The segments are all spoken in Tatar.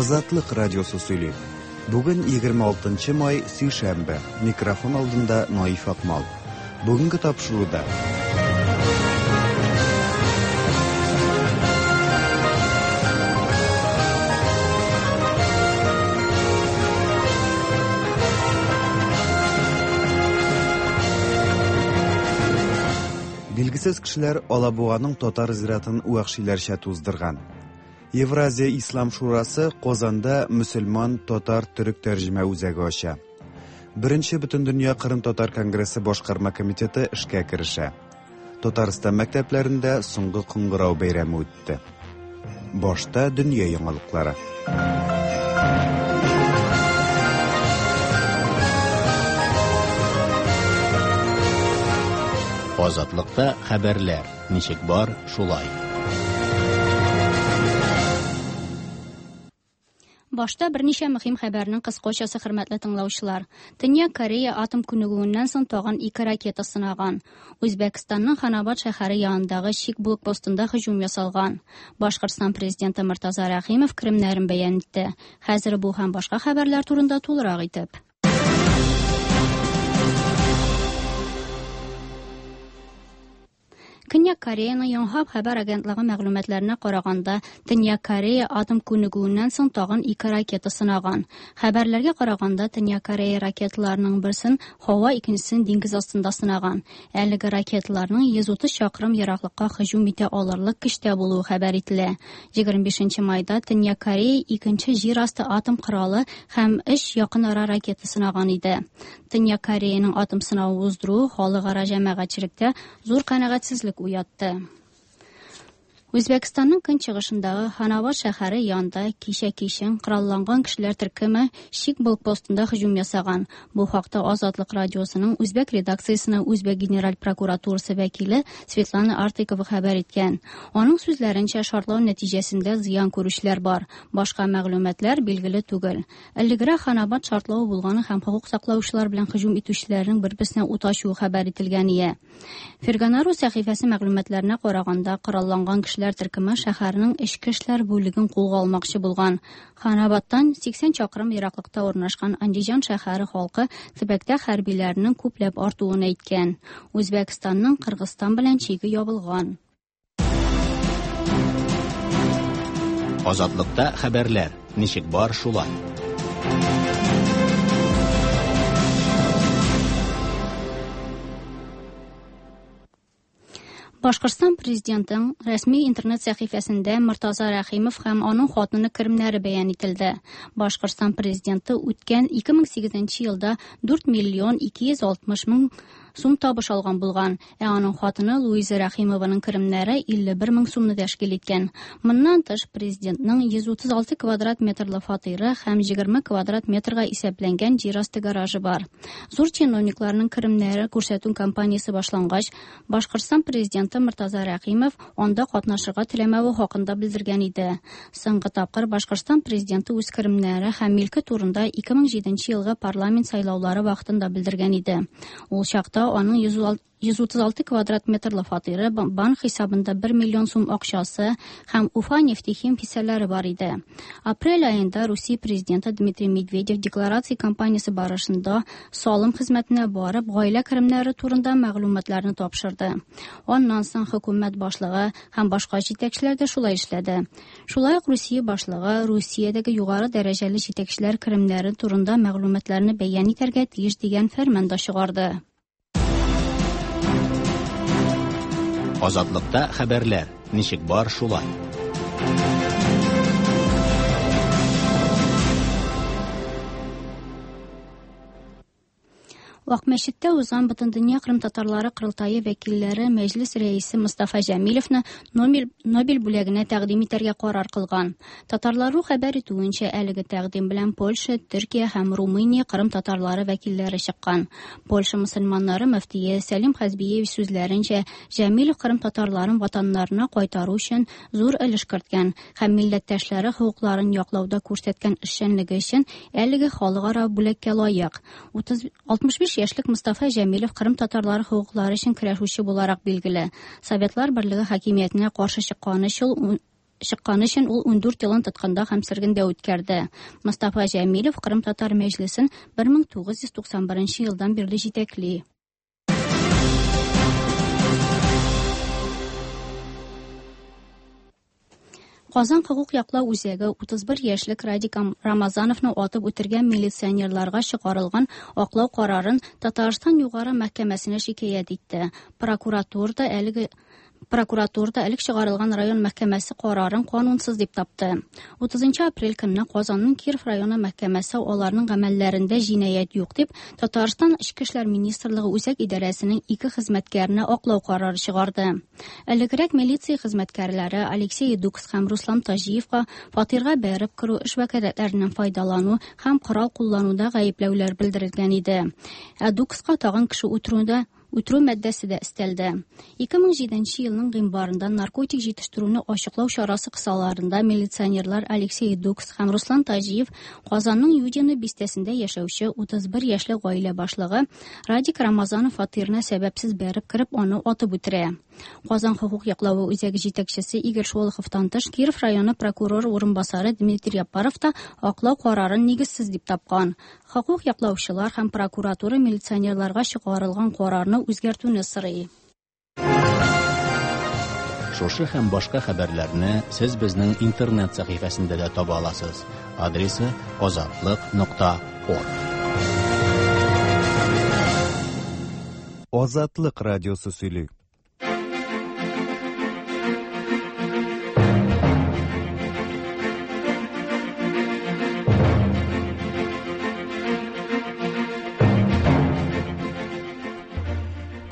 Азатлык радиосы сөйли. Бүген 26 май, сишәмбе. Микрофон алдында Наиф Акмал. Бүгенге тапшыруда Билгесез кешеләр Алабуганың татар зиратын вәхшиләрчә туздырган. Евразия Ислам шурасы Казанда мөселман татар төрек тәрҗемә үзәге ача. Беренче Бөтендөнья Кырым-татар конгрессы башкарма комитеты эшкә керешә. Татарстан мәктәпләрендә соңгы кыңгырау бәйрәме үтте. Башта дөнья яңалыклары. Азатлыкта хәбәрләр ничек бар, шулай. Башта берничә мөһим хәбәрнең кыскачасы, хөрмәтле тыңлаучылар. Төньяк Корея атом күнегүеннән соң тагын ике ракета сынаган. Үзбәкстанның Ханабад шәһәре янындагы чик блокпостында һөҗүм ясалган. Башкортстан президенты Мортаза Рәхимов керемнәрен бәян итте. Хәзер бу һәм башка хәбәрләр турында тулырак итеп. Көньяк Кореяның Йонхап хәбәр агентлыгы мәгълүматларына караганда, Төньяк Корея атом күнегүеннән соң тагын ике ракета сынаган. Хәбәрләргә караганда, Төньяк Корея ракеталарының берсен һава, икенчесен диңгез астында сынаган. Әлеге ракеталарның 130 чакрым ераклыкка һөҗүм итә алырлык көчтә булуы хәбәр ителә. 25 майда Төньяк Корея икенче җир асты атом коралы һәм өч якын ара ракета сынаган иде. Төньяк Кореяның атом сынавы уздыруы халыкара җәмәгатьчелектә зур канәгатьсезлек уятты. Үзбәкстанның көнчыгышындагы Ханабад шәһәре янында кичә кичен коралланган кешеләр төркеме чик блокпостында һөҗүм ясаган. Бу хакта Азатлык радиосының үзбәк редакциясенә Үзбәк генераль прокуратурасы вәкиле Светлана Артыкова хәбәр иткән. Аның сүзләренчә, шартлау нәтиҗәсендә зыян күрүчеләр бар. Башка мәгълүматлар билгеле түгел. Элегрәк Ханабад шартлавы булганы һәм хокук саклаучылар белән һөҗүм итүчеләрнең бер-берсенә ут ачуы хәбәр ителгән ие. Ферганару сәхифәсе мәгълүматларына караганда, коралланган кешеләр төркеме шәһәрнең эчке эшләр бүлеген кулга алмакчы булган. Ханабадтан 80 чакрым ераклыкта урнашкан Андижан шәһәре халкы төбәктә хәрбиләрнең күпләп артуын әйткән. Үзбәкстанның Кыргызстан белән чиге ябылган. Азатлыкта хәбәрләр ничек бар, шулай. Башкортстан президентының рәсми интернет сәхифәсендә Мортаза Рәхимов һәм аның хатыны керемнәре бәян ителде. Башкортстан президенты үткән 2008 елда 4 миллион 260 мең сум табыш алган булган, ә аның хатыны Луиза Рәхимованың керемнәре 51 мең сумны тәшкил иткән. Моннан тыш, президентның 136 квадрат метрлы фатиры һәм 20 квадрат метрга исәпләнгән җир асты гаражы бар. Зур чиновникларның керемнәре күрсәтү кампаниясе башлангач, Башкортстан президенты Мортаза Рәхимов анда катнашырга теләмәве хакында белдергән иде. Соңгы тапкыр Башкортстан президенты үз керемнәре һәм милке турында 2007 елгы парламент сайлаулары вакытында белдергән иде. Ул чакта аның 136 квадрат метрлы фатиры, банк хисабында 1 миллион сум акчасы һәм Уфа нефтехим хиссәләре бар иде. Апрель аенда Русия президенты Дмитрий Медведев декларация кампаниясе барышында салым хезмәтенә барып, гаилә керемнәре турында мәгълүматларны тапшырды. Аннан соң хөкүмәт башлыгы һәм башка җитәкчеләр дә шулай эшләде. Шулай ук Русия башлыгы Русиядәге югары дәрәҗәле җитәкчеләр керемнәре турында мәгълүматларны бәян итәргә тиеш дигән фәрман да чыгарды. Азатлыкта хәбәрләр ничек бар, шулай. Акмәчеттә узган Бөтендөнья кырымтатарлары корылтае вәкилләре Мәҗлес рәисе Мостафа Җәмилевны Нобель бүләгенә тәкъдим итәргә карар кылган. Татарлару хәбәр итүенчә, әлеге тәкъдим белән Польша, Төркия һәм Румыния кырым татарлары вәкилләре чыккан. Польша мөселманнары мөфтие Сәлим Хәзбиевич сүзләренчә, Җәмилев кырым татарларын ватаннарына кайтару өчен зур өлеш керткән һәм милләттәшләре хокукларын яклауда күрсәткән эшчәнлеге өчен әлеге халыкара бүләккә лаек. 65 яшьлек Мостафа Җәмилев кырым татарлары хокуклары өчен көрәшүче буларак билгеле. Советлар Берлеге хакимиятенә каршы чыкканы өчен чыккан өчен ул 14 елын тоткында һәм сөргендә үткәрде. Мостафа Җәмилев Кырым татар мәҗлесен 1991 елдан бирле җитәкли. Казан хокук яклау үзәге 31 яшьлек Радик Рамазановны атып үтергән милиционерларга чыгарылган аклау карарын Татарстан Югары мәхкәмәсенә шикаять итте. Прокуратурада әлеге Прокуратурада элек чыгарылган район мәхкәмәсе карарын канунсыз дип тапты. 30 апрель көнне Казанның Киров районы мәхкәмәсе аларның гамәлләрендә җинаять юк дип, Татарстан Эчке эшләр министрлыгы үзәк идарәсенең ике хезмәткәренә аклау карары чыгарды. Элегрәк милиция хезмәткәрләре Алексей Дукс һәм Руслан Таҗиевка фатирга бәреп керү, эш вәкаләтләреннән файдалану һәм корал куллануда гаепләүләр белдерелгән иде. Ә Дукска тагын кеше үтерүдә үтерү маддәсе дә өстәлде. 2007 елның гыйнварында наркотик җитештерүне ачыклау чарасы кысаларында милиционерлар Алексей Дукс һәм Руслан Таҗиев Казанның Юдино бистәсендә яшәүче 31 яшьлек гаилә башлыгы Радик Рамазанов фатирына сәбәпсез бәреп кереп, аны атып үтерә. Казан хокук яклавы үзәге җитәкчесе Игорь Шолоховтан тыш Киров районы прокурор урынбасары Дмитрий Яппаров та аклау карарын нигезсез дип тапкан. Хокук яклаучылар һәм прокуратура милиционерларга чыгарылган карарны үзгәртүне сорый. Шушы һәм башка хәбәрләрне сез безнең интернет сәхифәсендә дә таба аласыз. Адресы azatliq.org. Азатлык радиосы сөйли.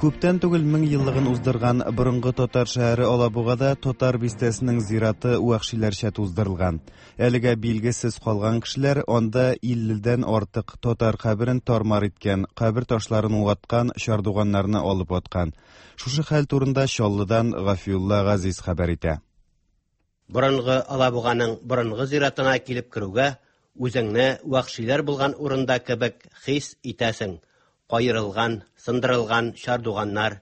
Күптән түгел мең еллыгын уздырган борынгы татар шәһәре Алабугада татар бистәсенең зираты вәхшиләрчә туздырылган. Әлегә билгесез калган кешеләр анда 50дән артык татар каберен тармар иткән, кабер ташларын ваткан, чардуганнарны алып аткан. Шушы хәл турында Чаллыдан Гафиулла Газиз хәбәр итә. Борынгы Алабуганың борынгы зиратына килеп керүгә үзеңне вәхшиләр булган урында кебек хис итәсең. Каерылган, сындырылган чардуганнар,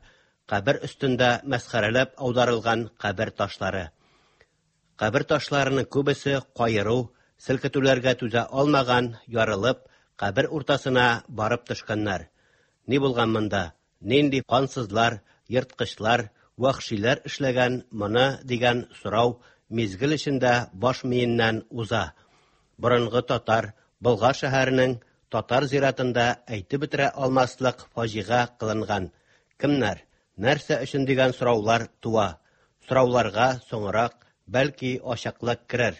кабер өстендә мәсхәрәләп аударылган кабер ташлары. Кабер ташларының күбесе каеру, селкетүләргә түзә алмаган, ярылып, кабер уртасына барып төшкәннәр. Ни булган монда? Нинди кансызлар, ерткычлар, вәхшиләр эшләгән моны дигән сорау мизгел эчендә баш миеннән уза. Борынгы татар, Болгар шәһәренең татар зиратында әйтеп бетерә алмаслык фаҗига кылынган. Кемнәр, нәрсә өчен дигән сораулар туа. Сорауларга соңрак бәлки ачыклык керер.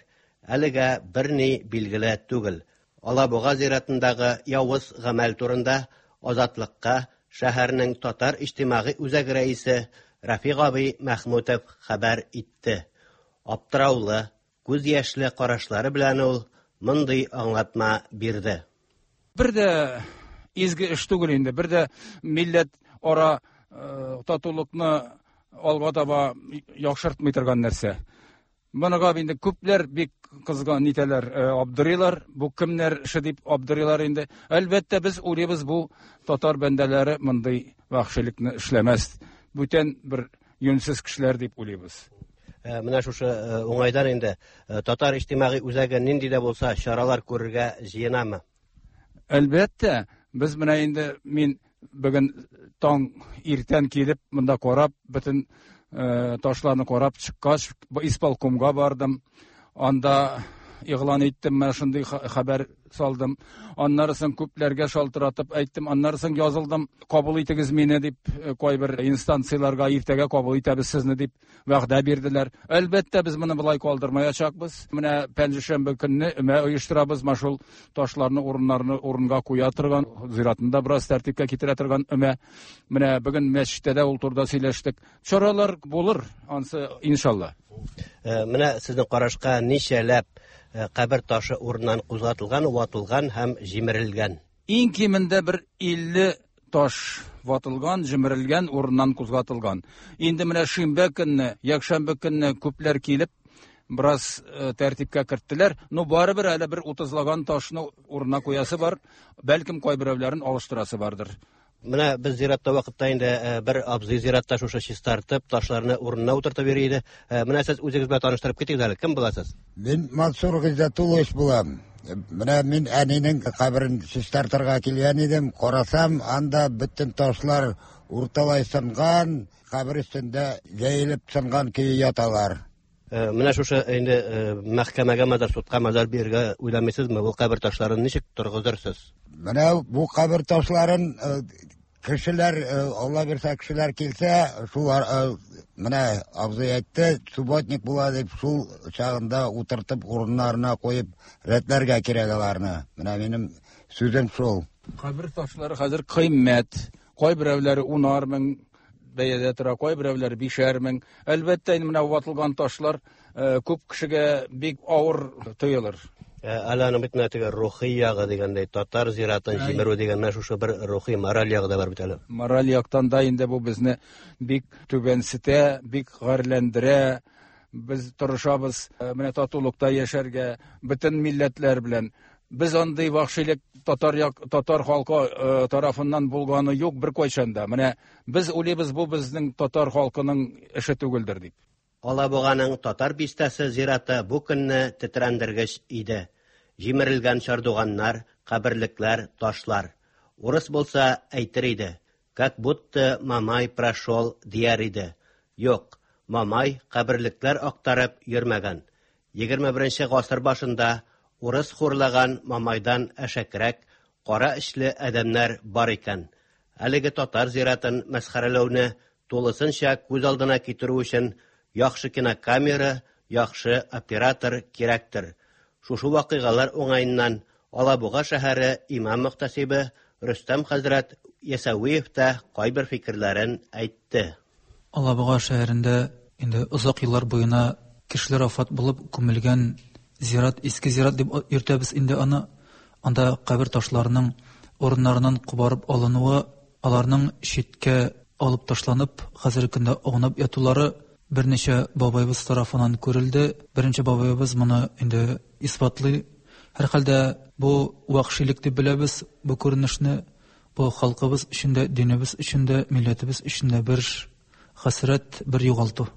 Әлегә берни билгеле түгел. Алабуга зиратындагы явыз гамәл турында Азатлыкка шәһәрнең татар иҗтимагый үзәге рәисе Рафик абый Мәхмүтов хәбәр итте. Аптыраулы, күз яшьле карашлары белән ул мондый аңлатма бирде. Бер дә изге эш түгел инде, бер дә милләт ара татулыкны алга таба яхшыртмый торган нәрсә. Моныга инде күпләр бик кызган нитәләр, абдырыйлар, бу кемнәр эше дип абдырыйлар инде. Әлбәттә, без уйлыйбыз, бу татар бәндәләре мондый вәхшилекне эшләмәс. Бүтән бер юньсез кешеләр дип уйлыйбыз. Менә шушы уңайдан инде татар иҗтимагый үзәге нинди дә булса чаралар күрергә җыенамы? Әлбәттә, без менә инде мин бүген таң иртән килеп монда карап, бөтен ташларны карап чыккач, исполкомга бардым. Анда игълан иттем, менә шундый хәбәр салдым. Аннары соң күпләргә шалтыратып әйттем, аннары соң язылдым. Кабул итегез мине дип, кайбер инстанцияләргә иртәгә кабул итәбез сезне дип вәгъдә бирделәр. Әлбәттә, без моны болай калдырмаячакбыз. Менә пәнҗешәмбе көнне өмә оештырабыз, менә шул ташларны урыннарны урынга куя торган, зиратны да бераз тәртипкә китерә торган өмә. Менә бүген мәчеттә дә ул турыда сөйләштек. Чаралар булыр, ансы иншалла. Менә сезнең карашка ничәләп кабер ташы урыннан кузгатылган, ватылган һәм җимерелгән? Иң кимендә бер 50 таш ватылган, җимерелгән, урыннан кузгатылган. Инде менә шимбә көнне, якшәмбе көнне күпләр килеп, бераз тәртипкә керттеләр. Но барыбер әле бер 30лаган ташны урынына куясы бар, бәлкем кайберәүләрен алыштырасы бардыр. Менә без зиратта вакытта инде э, бер абзый зиратта шушы чистартып, ташларны урынына утыртып йөри иде. Э, менә сез үзегез белән таныштырып китегез әле. Кем буласыз? Мин Мансур Гыйззәтуллович булам. Менә мин әнинең каберен чистартырга килгән идем. Карасам, анда бөтен ташлар урталай сынган, кабер өстендә җәелеп сынган көе яталар. Э, менә шушы инде э, мәхкәмәгә мазар, судка мазар бирергә уйламыйсызмы? Бу кабер ташларын ничек торгызырсыз? Менә бу кабер ташларын э, кешеләр, Алла бирсә, кешеләр килсә, шул менә абзый әйтте, субботник була дип, шул чагында утыртып урыннарына куеп рәтләргә кирәк аларны. Менә минем сүзем шул. Кабер ташлары хәзер кыйммәт. Кайберәүләре унар мең бәядә тора, кайберәүләр 5 мең. Әлбәттә, инде менә ватылган ташлар э, күп кешегә бик авыр тоелыр. Э, әле аның бит менә теге рухи ягы дигәндәй, татар зиратын җимерү дигән менә шушы бер рухи мораль ягы да бар бит әле. Мораль яктан да инде бу безне бик түбәнсетә, бик гарьләндерә. Без тырышабыз э, менә татулыкта яшәргә бөтен милләтләр белән. Без андый вахшилек татар як, татар халкы э, тарафыннан булганы юк беркайчан да. Менә без уйлыйбыз, бу безнең татар халкының эше түгелдер дип. Алабуганың татар бистәсе зираты бу көнне тетрәндергеч иде. Җимерелгән чардуганнар, каберлекләр, ташлар. Урыс булса әйтер иде, как будто Мамай прошел дияр иде. Юк, Мамай каберлекләр актарып йөрмәгән. 21 гасыр башында урыс хурлаган Мамайдан әшәкерәк, кара эчле адәмнәр бар икән. Әлеге татар зиратын мәсхәрәләүне тулысынча күз алдына китерү өчен яхшы кинокамера, яхшы оператор кирәктер. Шушы вакыйгалар уңаеннан Алабуга шәһәре имам мөхтәсибе Рөстәм хәзрәт Ясәвиев та кайбер фикерләрен әйтте. Алабуга шәһәрендә инде озак еллар буена кешеләр вафат булып күмелгән зират, иске зират дип йөртәбез инде аны. Анда кабер ташларының урыннарыннан кубарып алынуы, аларның читкә алып ташланып, хәзерге көндә аунап ятулары берничә бабайыбыз тарафыннан күрелде. Беренче бабайыбыз моны инде исбатлый. Һәрхәлдә бу вәхшилек дип беләбез бу күренешне. Бу халкыбыз өчен дә, динебез өчен дә, милләтебез өчен дә бер хәсрәт, бер югалту.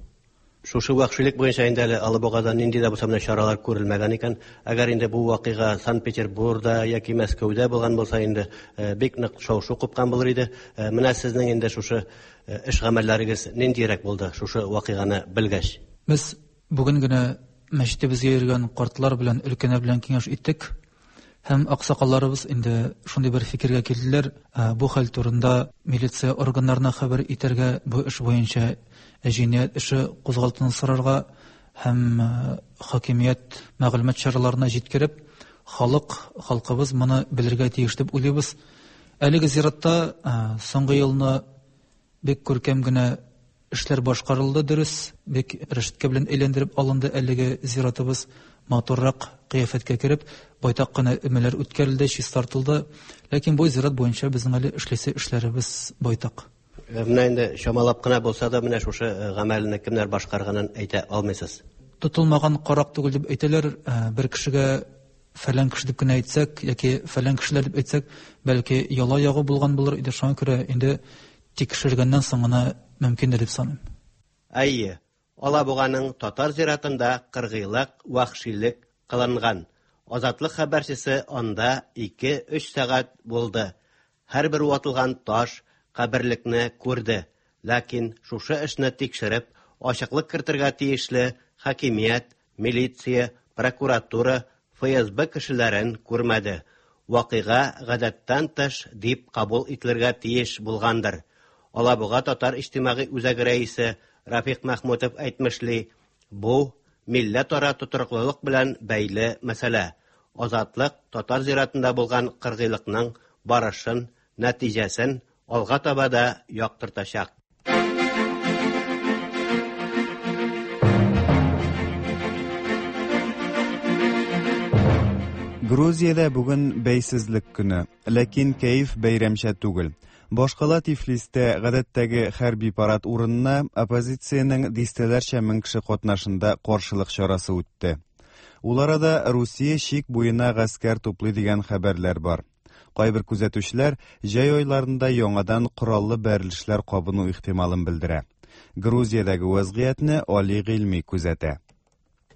Шушы вәхшилек буенча инде әле Алабугада нинди дә булса менә чаралар күрелмәгән икән. Әгәр инде бу вакыйга Санкт-Петербургда яки Мәскәүдә булган булса инде э, бик нык шау-шу купкан булыр иде. Э, менә сезнең инде шушы э, эш гамәлләрегез ниндирәк булды шушы вакыйганы белгәч? Без бүген генә мәчетебезгә йөргән картлар белән, өлкәннәр белән киңәш иттек. Һәм аксакалларыбыз инде шундый бер фикергә килделәр. Бу хәл турында милиция органнарына хәбәр итәргә, бу эш буенча җинаять эше кузгалтуны сорарга һәм хакимият мәгълүмат чараларына җиткереп, халык, халкыбыз моны белергә тиеш дип уйлыйбыз. Әлеге зиратта соңгы елны бик күркәм генә эшләр башкарылды, дөрес, бик рәшәткә белән әйләндереп алынды әлеге зиратыбыз, матуррак кыяфәткә кереп, байтак кына өмәләр үткәрелде, чистартылды. Ләкин бу зират буенча безнең әле эшлисе эшләребез байтак. Менә инде чамалап кына булса да менә шушы гамәлне кемнәр башкарганын әйтә алмыйсыз. Тотылмаган карак түгел дип әйтәләр, бер кешегә фәлән кеше дип кенә әйтсәк яки фәлән кешеләр дип әйтсәк, бәлки яла ягу булган булыр иде. Шуңа күрә инде тикшергәннән соң гына мөмкиндер дип саныйм. Әйе, Алабуганың татар зиратында кыргыйлык, вәхшилек кылынган. Азатлык хәбәрчесе анда 2-3 сәгать булды. Һәрбер ватылган таш, каберлекне күрде. Ләкин шушы эшне тикшереп, ачыклык кертергә тиешле хакимият, милиция, прокуратура, ФСБ кешеләрен күрмәде. Вакыйга гадәттән тыш дип кабул ителергә тиеш булгандыр. Алабуга татар иҗтимагый үзәге рәисе Рафик Махмутов әйтмешли, бу милләтара тотрыклылык белән бәйле мәсьәлә. Азатлык татар зиратында булган кыргыйлыкның барышын, нәтиҗәсен алга таба да яктыртачак. Грузиядә бүген бәйсезлек көне, ләкин кәеф бәйрәмчә түгел. Башкала Тифлистә гадәттәге хәрби парад урынына оппозициянең дистәләрчә мең кеше катнашында каршылык чарасы үтте. Ул арада Русия чик буена гаскәр туплый дигән хәбәрләр бар. Кайбер күзәтүчеләр җәй айларында яңадан кораллы бәрелешләр кабыну ихтималын белдерә. Грузиядәге вәзгыятьне Али Гыйльми күзәтә.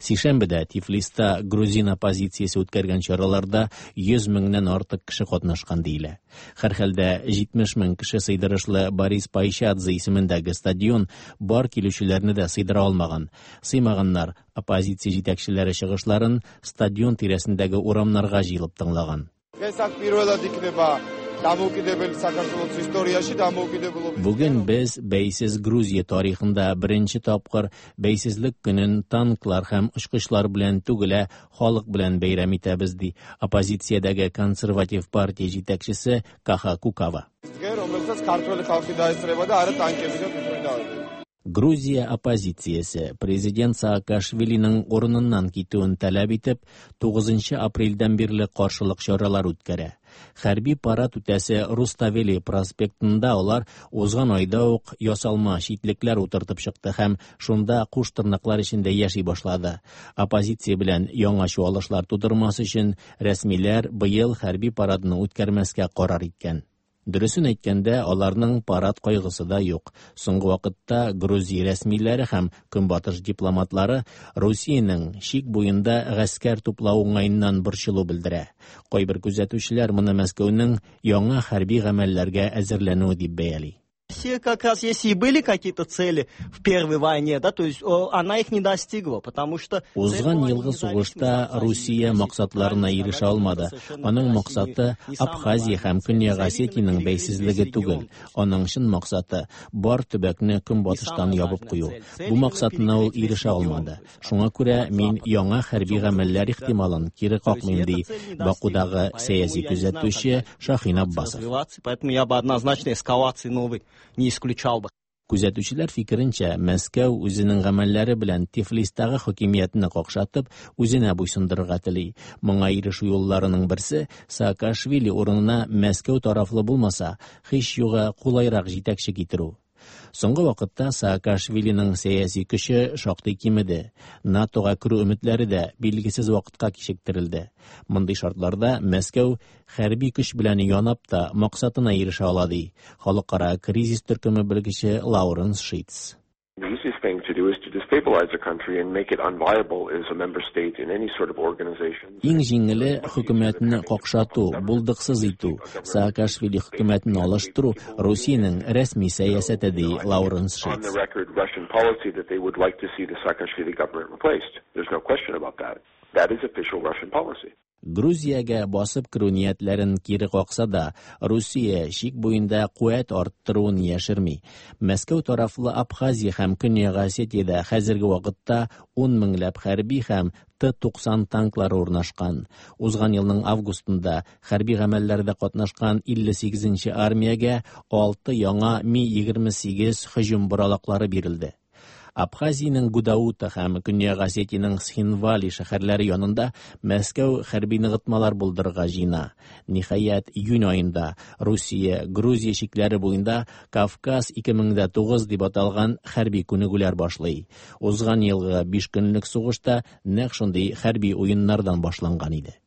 Сишәмбедә Тифлиста грузин оппозициясе үткәргән чараларда 100 меңнән артык кеше катнашкан диелә. Һәрхәлдә 70 мең кеше сыйдырышлы Борис Пайшадзе исемендәге стадион бар килүчеләрне дә сыйдыра алмаган. Сыймаганнар оппозиция җитәкчеләре чыгышларын стадион тирәсендәге урамнарга җыелып тыңлаган. Бүген без бәйсез Грузия тарихында беренче тапкыр бәйсезлек көнен танклар һәм очкычлар белән түгел, ә халык белән бәйрәм итәбез, ди оппозициядәге консерватив партия җитәкчесе Каха Кукава. Грузия оппозициясе президент Саакашвилиның урыныннан китүен таләп итеп, 9 апрельдән бирле каршылык чаралар үткәрә. Хәрби парад үтәсе Руставели проспектында алар узган айда ук ясалма читлекләр утыртып чыкты һәм шунда куш тырнаклар эчендә яши башлады. Оппозиция белән яңа чуалышлар тудырмас өчен рәсмиләр быел хәрби парадны үткәрмәскә карар иткән. Дөресен әйткәндә, аларның парад кайгысы да юк. Соңгы вакытта Грузия рәсмиләре һәм көнбатыш дипломатлары Русиянең чик буенда гаскәр туплау уңаеннан борчылу белдерә. Кайбер күзәтүчеләр моны Мәскәүнең яңа хәрби гамәлләргә әзерләнүе дип бәяли. Россия как раз, если и были какие-то цели в первой войне, да, то есть она их не достигла, потому что... Узган елгы сугышта Русия максатларына ирешә алмады. Аның максаты Абхазия һәм Көньяк Осетиянең бәйсезлеге түгел. Аның чын максаты бар төбәкне көнбатыштан ябып кую. Бу максатына ул ирешә алмады. Шуңа күрә мин яңа хәрби гамәлләр ихтималын кире какмыйм, ди Бакудагы сәяси күзәтүче Шахин Аббасов. Поэтому я бы однозначно эскалации новой не исключал бы. Күзәтүчеләр фикеренчә, Мәскәү үзенең гамәлләре белән Тифлистагы хакимиятне какшатып, үзенә буйсындырырга тели. Моңа ирешү юлларының берсе Саакашвили урынына Мәскәү тарафлы булмаса, һич югы кулайрак җитәкче китерү. Соңгы вакытта Саакашвилиның сәяси көче шактый кимеде. НАТОга керү өметләре дә билгесез вакытка кичектерелде. Мондый шартларда Мәскәү хәрби көч белән янап та максатына ирешә ала, ди Халыкара кризис төркеме белгече Лауренс Шитц. The easiest thing to do is to destabilize a country and make it unviable as a member state in any sort of organization. Иң җиңеле хөкүмәтне какшату, булдыксыз итү, Саакашвили хөкүмәтен алыштыру Русиянең рәсми сәясәте, ди Лауренс On Шитц. the record Russian policy that they would like to see the Saakashvili government replaced. There's no question about that. That is official Russian policy. Грузиягә басып керү ниятләрен кире какса да, Русия чик буенда куәт арттыруын яшерми. Мәскәү тарафлы Абхазия һәм Көньяк Осетиядә хәзерге вакытта 10 меңләп хәрби һәм Т-90 танклары урнашкан. Узган елның августында хәрби гамәлләрдә катнашкан 58-нче армиягә 6 яңа Ми-28 һөҗүм боралаклары бирелде. Абхазиянең Гудаута һәм Көньяк Осетиянең Схинвали шәһәрләре янында Мәскәү хәрби ныгытмалар булдырырга җыена. Ниһаять, июнь аенда Русия, Грузия чикләре буенда Кавказ 2009 дип аталган хәрби күнегүләр башлый. Узган елгы 5 көнлек сугышта нәкъ шундый хәрби уеннардан башланган иде.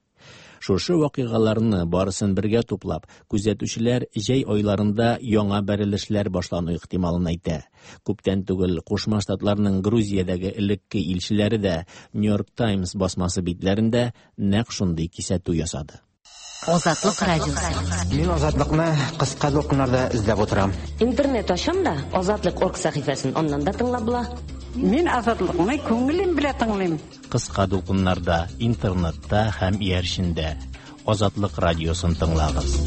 Шушы вакыйгаларны барысын бергә туплап, күзәтүчеләр җәй айларында яңа бәрелешләр башлану ихтималын әйтә. Күптән түгел Кушма Штатларның Грузиядәге элекке илчеләре дә New York Times басмасы битләрендә нәкъ шундый кисәтү ясады. Азатлык радиосы. Мин Азатлыкны кыска дулкыннарда эзләп утырам. Интернет ачам да, Азатлык орг сәхифәсен аннан да тыңлап була. Мин Азатлыкны күңелем белән тыңлыйм. Кыска дулкыннарда, интернетта һәм иярчендә Азатлык радиосын тыңлагыз.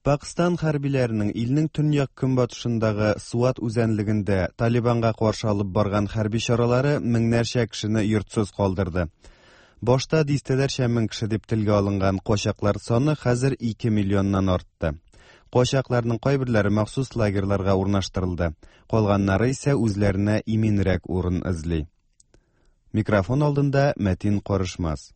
Пакстан хәрбиләренең илнең төньяк көнбатышындагы Суат үзәнлегендә Талибанга каршы алып барган хәрби чаралары меңнәрчә кешене йортсыз калдырды. Башта дистәләрчә мең кеше дип телгә алынган качаклар саны хәзер 2 миллионнан артты. Качакларның кайберләре махсус лагерьларга урнаштырылды. Калганнары исә үзләренә иминрәк урын эзли. Микрофон алдында Мәтин Карышмас.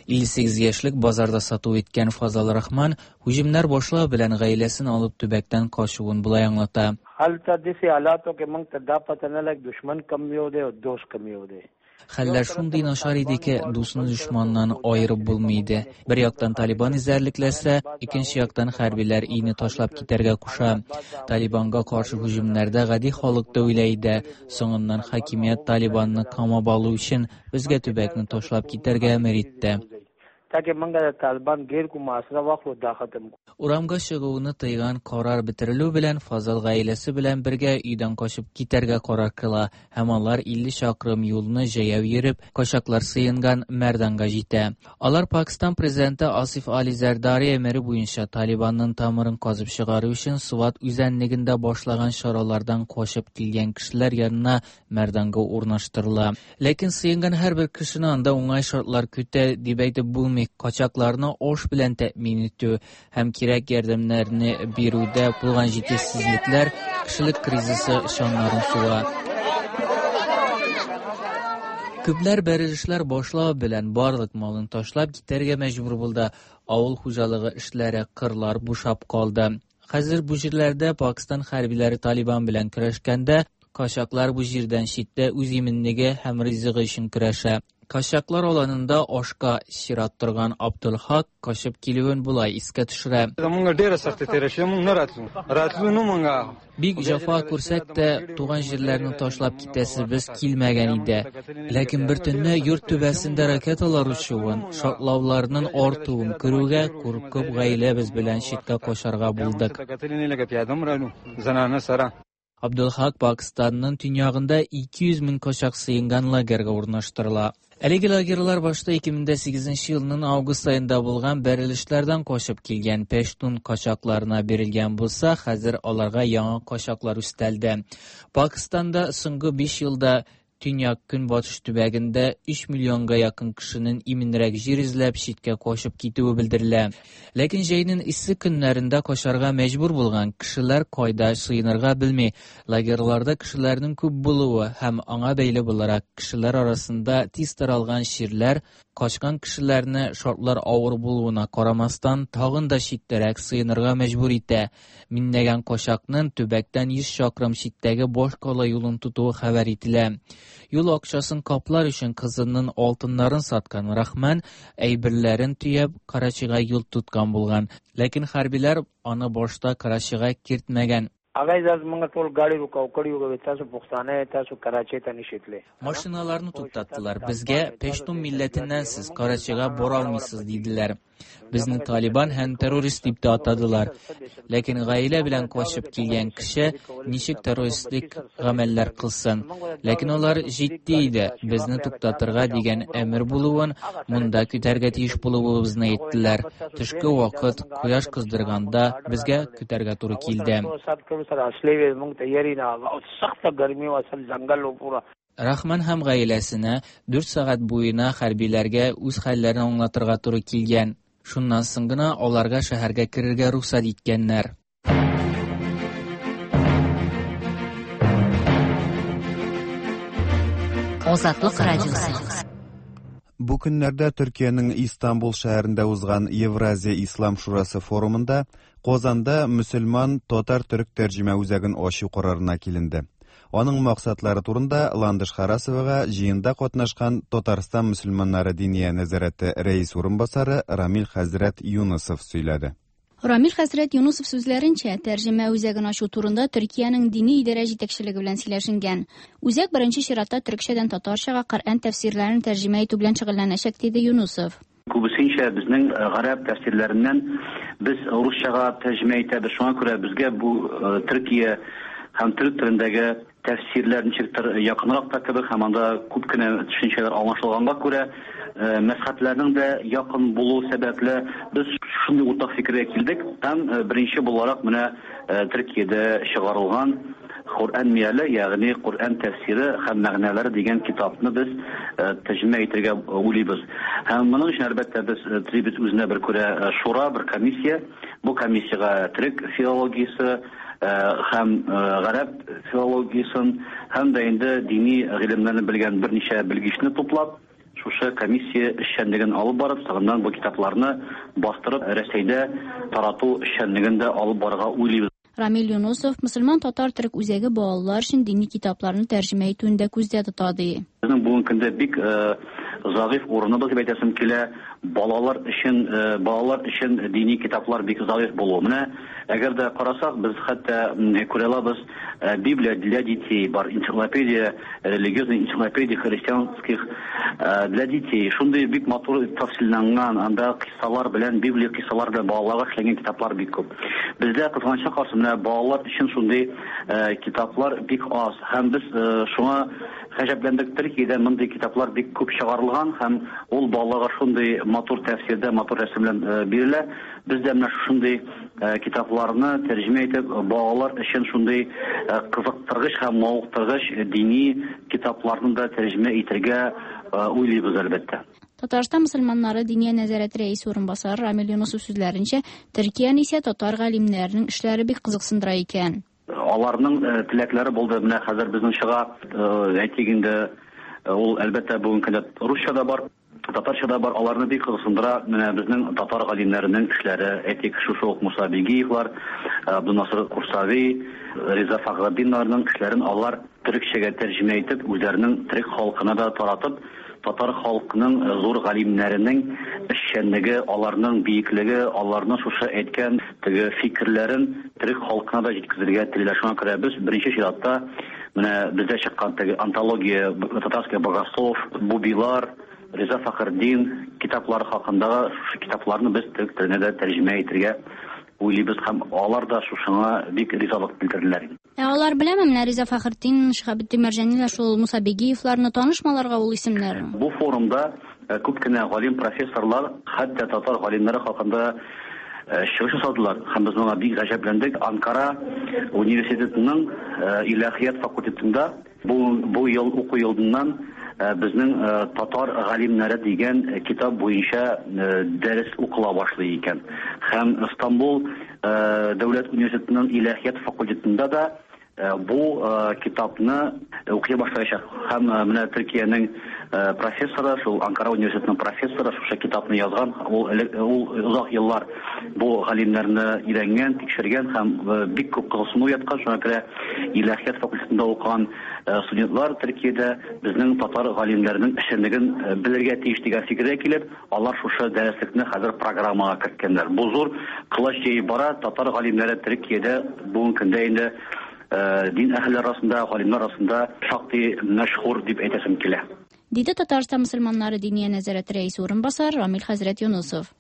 58 яшьлек базарда сату иткән Фазал Рахман һөҗүмнәр башлау белән гаиләсен алып төбәктән качуын болай аңлата. هلته داسې حالاتو کې موږ ته دا پته نه لګي دشمن کم یو دی او دوست کم یو دی. Хәлләр шундый начар иде ки, дусны дошманнан аерып булмый иде. Бер яктан Талибан эзәрлекләсә, икенче яктан хәрбиләр өйне ташлап китәргә куша. Талибанга каршы һөҗүмнәрдә гади халык та үлә иде. Соңыннан хакимият Талибанны камап алу өчен безгә төбәкне ташлап китәргә әмер итте. Урамга чыгуны тыйган карар бетерелү белән Фазыл гаиләсе белән бергә өйдән качып китәргә карар кыла һәм алар 50 чакрым юлны җәяү йөреп, качаклар сыенган Мәрданга җитә. Алар Пакстан президенты Асиф Али Зәрдари әмере буенча Талибанның тамырын казып чыгару өчен Сват үзәнлегендә башлаган чаралардан качып килгән кешеләр янына Мәрданга урнаштырыла. Ләкин сыенган һәрбер кешене анда уңай шартлар көтә дип әйтеп булмый. Качакларны аш белән тәэмин итү һәм кирәк ярдәмнәрне бирүдә булган җитешсезлекләр кешелек кризисы чаннарын суга. Күпләр бәрелешләр башлау белән барлык малын ташлап китәргә мәҗбүр булды. Авыл хуҗалыгы эшләре, кырлар бушап калды. Хәзер бу җирләрдә Пакстан хәрбиләре Талибан белән көрәшкәндә, качаклар бу җирдән читтә үз иминлеге һәм ризыгы өчен көрәшә. Качаклар аланында ашка чират торган Абдулхак качып килүен болай искә төшерә. Бик җәфа күрсәк тә, туган җирләрне ташлап китәсебез килмәгән иде. Ләкин бер төнне йорт түбәсендә ракеталар очуын, шартлауларның артуын күрүгә, куркып гаиләбез белән читкә качарга булдык. Абдулхак Пакстанның төньягында 200 мең качак сыенган лагерьга урнаштырыла. Әлеге лагерьлар башта 2008 елның август аенда булган бәрелешләрдән качып килгән пәштун качакларына бирелгән булса, хәзер аларга яңа качаклар өстәлде. Пакстанда соңгы 5 елда Төньяк-көнбатыш төбәгендә 3 миллионга якын кешенең иминрәк җир эзләп читкә качып китүе белдерелә. Ләкин җәйнең эссе көннәрендә качарга мәҗбүр булган кешеләр кайда сыенырга белми. Лагерьларда кешеләрнең күп булуы һәм аңа бәйле буларак кешеләр арасында тиз таралган чирләр качкан кешеләрне шартлар авыр булуына карамастан тагын да читтәрәк сыенырга мәҗбүр итә. Миңнәгән качакның төбәктән 100 чакрым читтәге башкала юлын тотуы хәбәр ителә. Юл акчасын каплар өчен кызының алтыннарын саткан Рахман әйберләрен төяп Карачига юл тоткан булган. Ләкин хәрбиләр аны башта Карачига кертмәгән. Машиналарны туктаттылар. Безгә, Пәштун милләтеннән сез, Карачига бара алмыйсыз, диделәр. Безне Талибан һәм террорист дип тә атадылар. Ләкин гаилә белән качып килгән кеше ничек террористик гамәлләр кылсын? Ләкин алар җитди иде, безне туктатырга дигән әмер булуын, монда көтәргә тиеш булуыбызны әйттеләр. Төшке вакыт, кояш кыздырганда безгә көтәргә туры килде. Рахман һәм гаиләсенә 4 сәгать буена хәрбиләргә үз хәлләрен аңлатырга туры килгән. Шуннан соң гына аларга шәһәргә керергә рөхсәт иткәннәр. Азатлык радиосы. Бу көннәрдә Төркиянең Истанбул шәһәрендә узган Евразия Ислам шурасы форумында Казанда мөселман татар-төрек тәрҗемә үзәген ачу карарына киленде. Аның максатлары турында Ландыш Харасовага җыенда катнашкан Татарстан мөселманнары диния нәзарәте рәис урынбасары Рамил хәзрәт Юнысов сөйләде. Рамил хәзрәт Юнусов сүзләренчә, тәрҗемә үзәген ачу турында Төркиянең дини идарә җитәкчелеге белән сөйләшенгән. Үзәк беренче чиратта төрекчәдән татарчага Коръән тәфсирләрен тәрҗемә итү белән шөгыльләнәчәк, диде Юнусов. Күбесенчә безнең гарәп тәфсирләреннән без русчага тәрҗемә итәбез. Шуңа күрә безгә бу Төркия һәм төрек телендәге тәфсирләр ничектер якынрак та кебек һәм анда күп кенә төшенчәләр аңлашылганга күрә, мәзһәбләрнең дә якын булу сәбәпле без шундый уртак фикергә килдек һәм беренче буларак менә Төркиядә чыгарылган Коръән мияле, ягъни Коръән тәфсире һәм мәгънәләре дигән китапны без тәрҗемә итәргә уйлыйбыз. Һәм моның өчен, әлбәттә, без төзибез үзенә бер күрә шура, бер комиссия. Бу комиссиягә төрек филологиясе һәм гарәп филологиясен һәм дә инде дини гыйлемнәрне белгән берничә белгечне туплап, шушы комиссия эшчәнлеген алып барып, соңыннан бу китапларны бастырып, Рәсәйдә тарату эшчәнлеген дә алып барырга уйлыйбыз. Рамил Юнусов мөселман татар төрек үзәге балалар өчен дини китапларны тәрҗемә итүен дә күздә тота ди. Безнең бүгенге көндә бик зәгыйфь урыныбыз дип әйтәсем килә. Балалар өчен балалар өчен дини китаплар бик зәгыйфь булу. Менә әгәр дә карасак, без хәтта күрә алабыз, Библия для детей бар, энциклопедия, религиозная энциклопедия христианских для детей. Шундый бик матур тәфсилләнгән, анда кыйссалар белән, Библия кыйссалар белән балаларга эшләнгән китаплар бик күп. Бездә кызганычка каршы менә балалар өчен шундый китаплар бик аз. Һәм без шуңа гаҗәпләндек, Төркиядә мондый китаплар бик күп чыгарылган һәм ул балаларга шундый матур тәфсирдә, матур рәсем белән бирелә. Без дә менә шушындый китапларны тәрҗемә итеп, балалар өчен шундый кызыктыргыч һәм мавыктыргыч дини китапларны да тәрҗемә итәргә уйлыйбыз, әлбәттә. Татарстан мөселманнары Диния нәзарәте рәисе урынбасары Рамил Юнысов сүзләренчә, Төркияне исә татар галимнәренең эшләре бик кызыксындыра икән. Аларның теләкләре булды. Менә хәзер безнең чыга, әйтик инде, ул, әлбәттә, бүгенге көндә русча да бар. Татарча да бар, аларны бик кызыксындыра менә безнең татар галимнәренең эшләре. Әйтик, шушы ук Муса Бигиевлар, Абдунасыр Курсави, Риза Фәхретдиннарның эшләрен алар төрекчәгә тәрҗемә итеп, үзләренең төрек халкына да таратып, татар халкының зур галимнәренең эшчәнлеге, аларның биеклеге, аларның шушы әйткән теге фикерләрен төрек халкына да җиткезергә телиләр. Шуңа күрә без беренче чиратта Менә бездә чыккан теге антология Татарский богослов, Бубилар, Риза Фәхретдин китаплары хакындагы шушы китапларны без төрек теленә дә тәрҗемә итергә уйлыйбыз һәм алар да шушыңа бик ризалык белдерделәр. Ә алар беләме менә Риза Фәхретдин, Шиһабетдин Мәрҗаниләр, шул Муса Бигиевларны, танышмы аларга ул исемнәр? Бу форумда күп кенә галим профессорлар, хәтта татар галимнәре хакында чыгыш ясадылар һәм без моңа бик гаҗәпләндек. Анкара университетының иләһият факультетында бу, бу ел уку елыннан безнең татар галимнәре дигән китап буенча дәрес укыла башлый икән. Һәм Стамбул дәүләт университетының иләһият факультетында да Бу китапны укый башлаячак. Һәм менә Төркиянең профессоры, шул Анкара университетының профессоры шушы китапны язган. Ул ул озак еллар бу галимнәрне өйрәнгән, тикшергән һәм бик күп кызыксыну уяткан. Шуңа күрә иләһият факультетында укыган студентлар Төркиядә безнең татар галимнәренең эшчәнлеген белергә тиеш дигән фикергә килеп, алар шушы дәреслекне хәзер программага керткәннәр. Бу зур колач җәеп бара, татар галимнәре Төркиядә бүгенге көндә инде дин әһелләре арасында, галимнәр арасында шактый мәшһүр дип әйтәсем килә. Диде Татарстан мөселманнары Диния нәзарәте рәисе урынбасары Рамил хәзрәт Юнысов.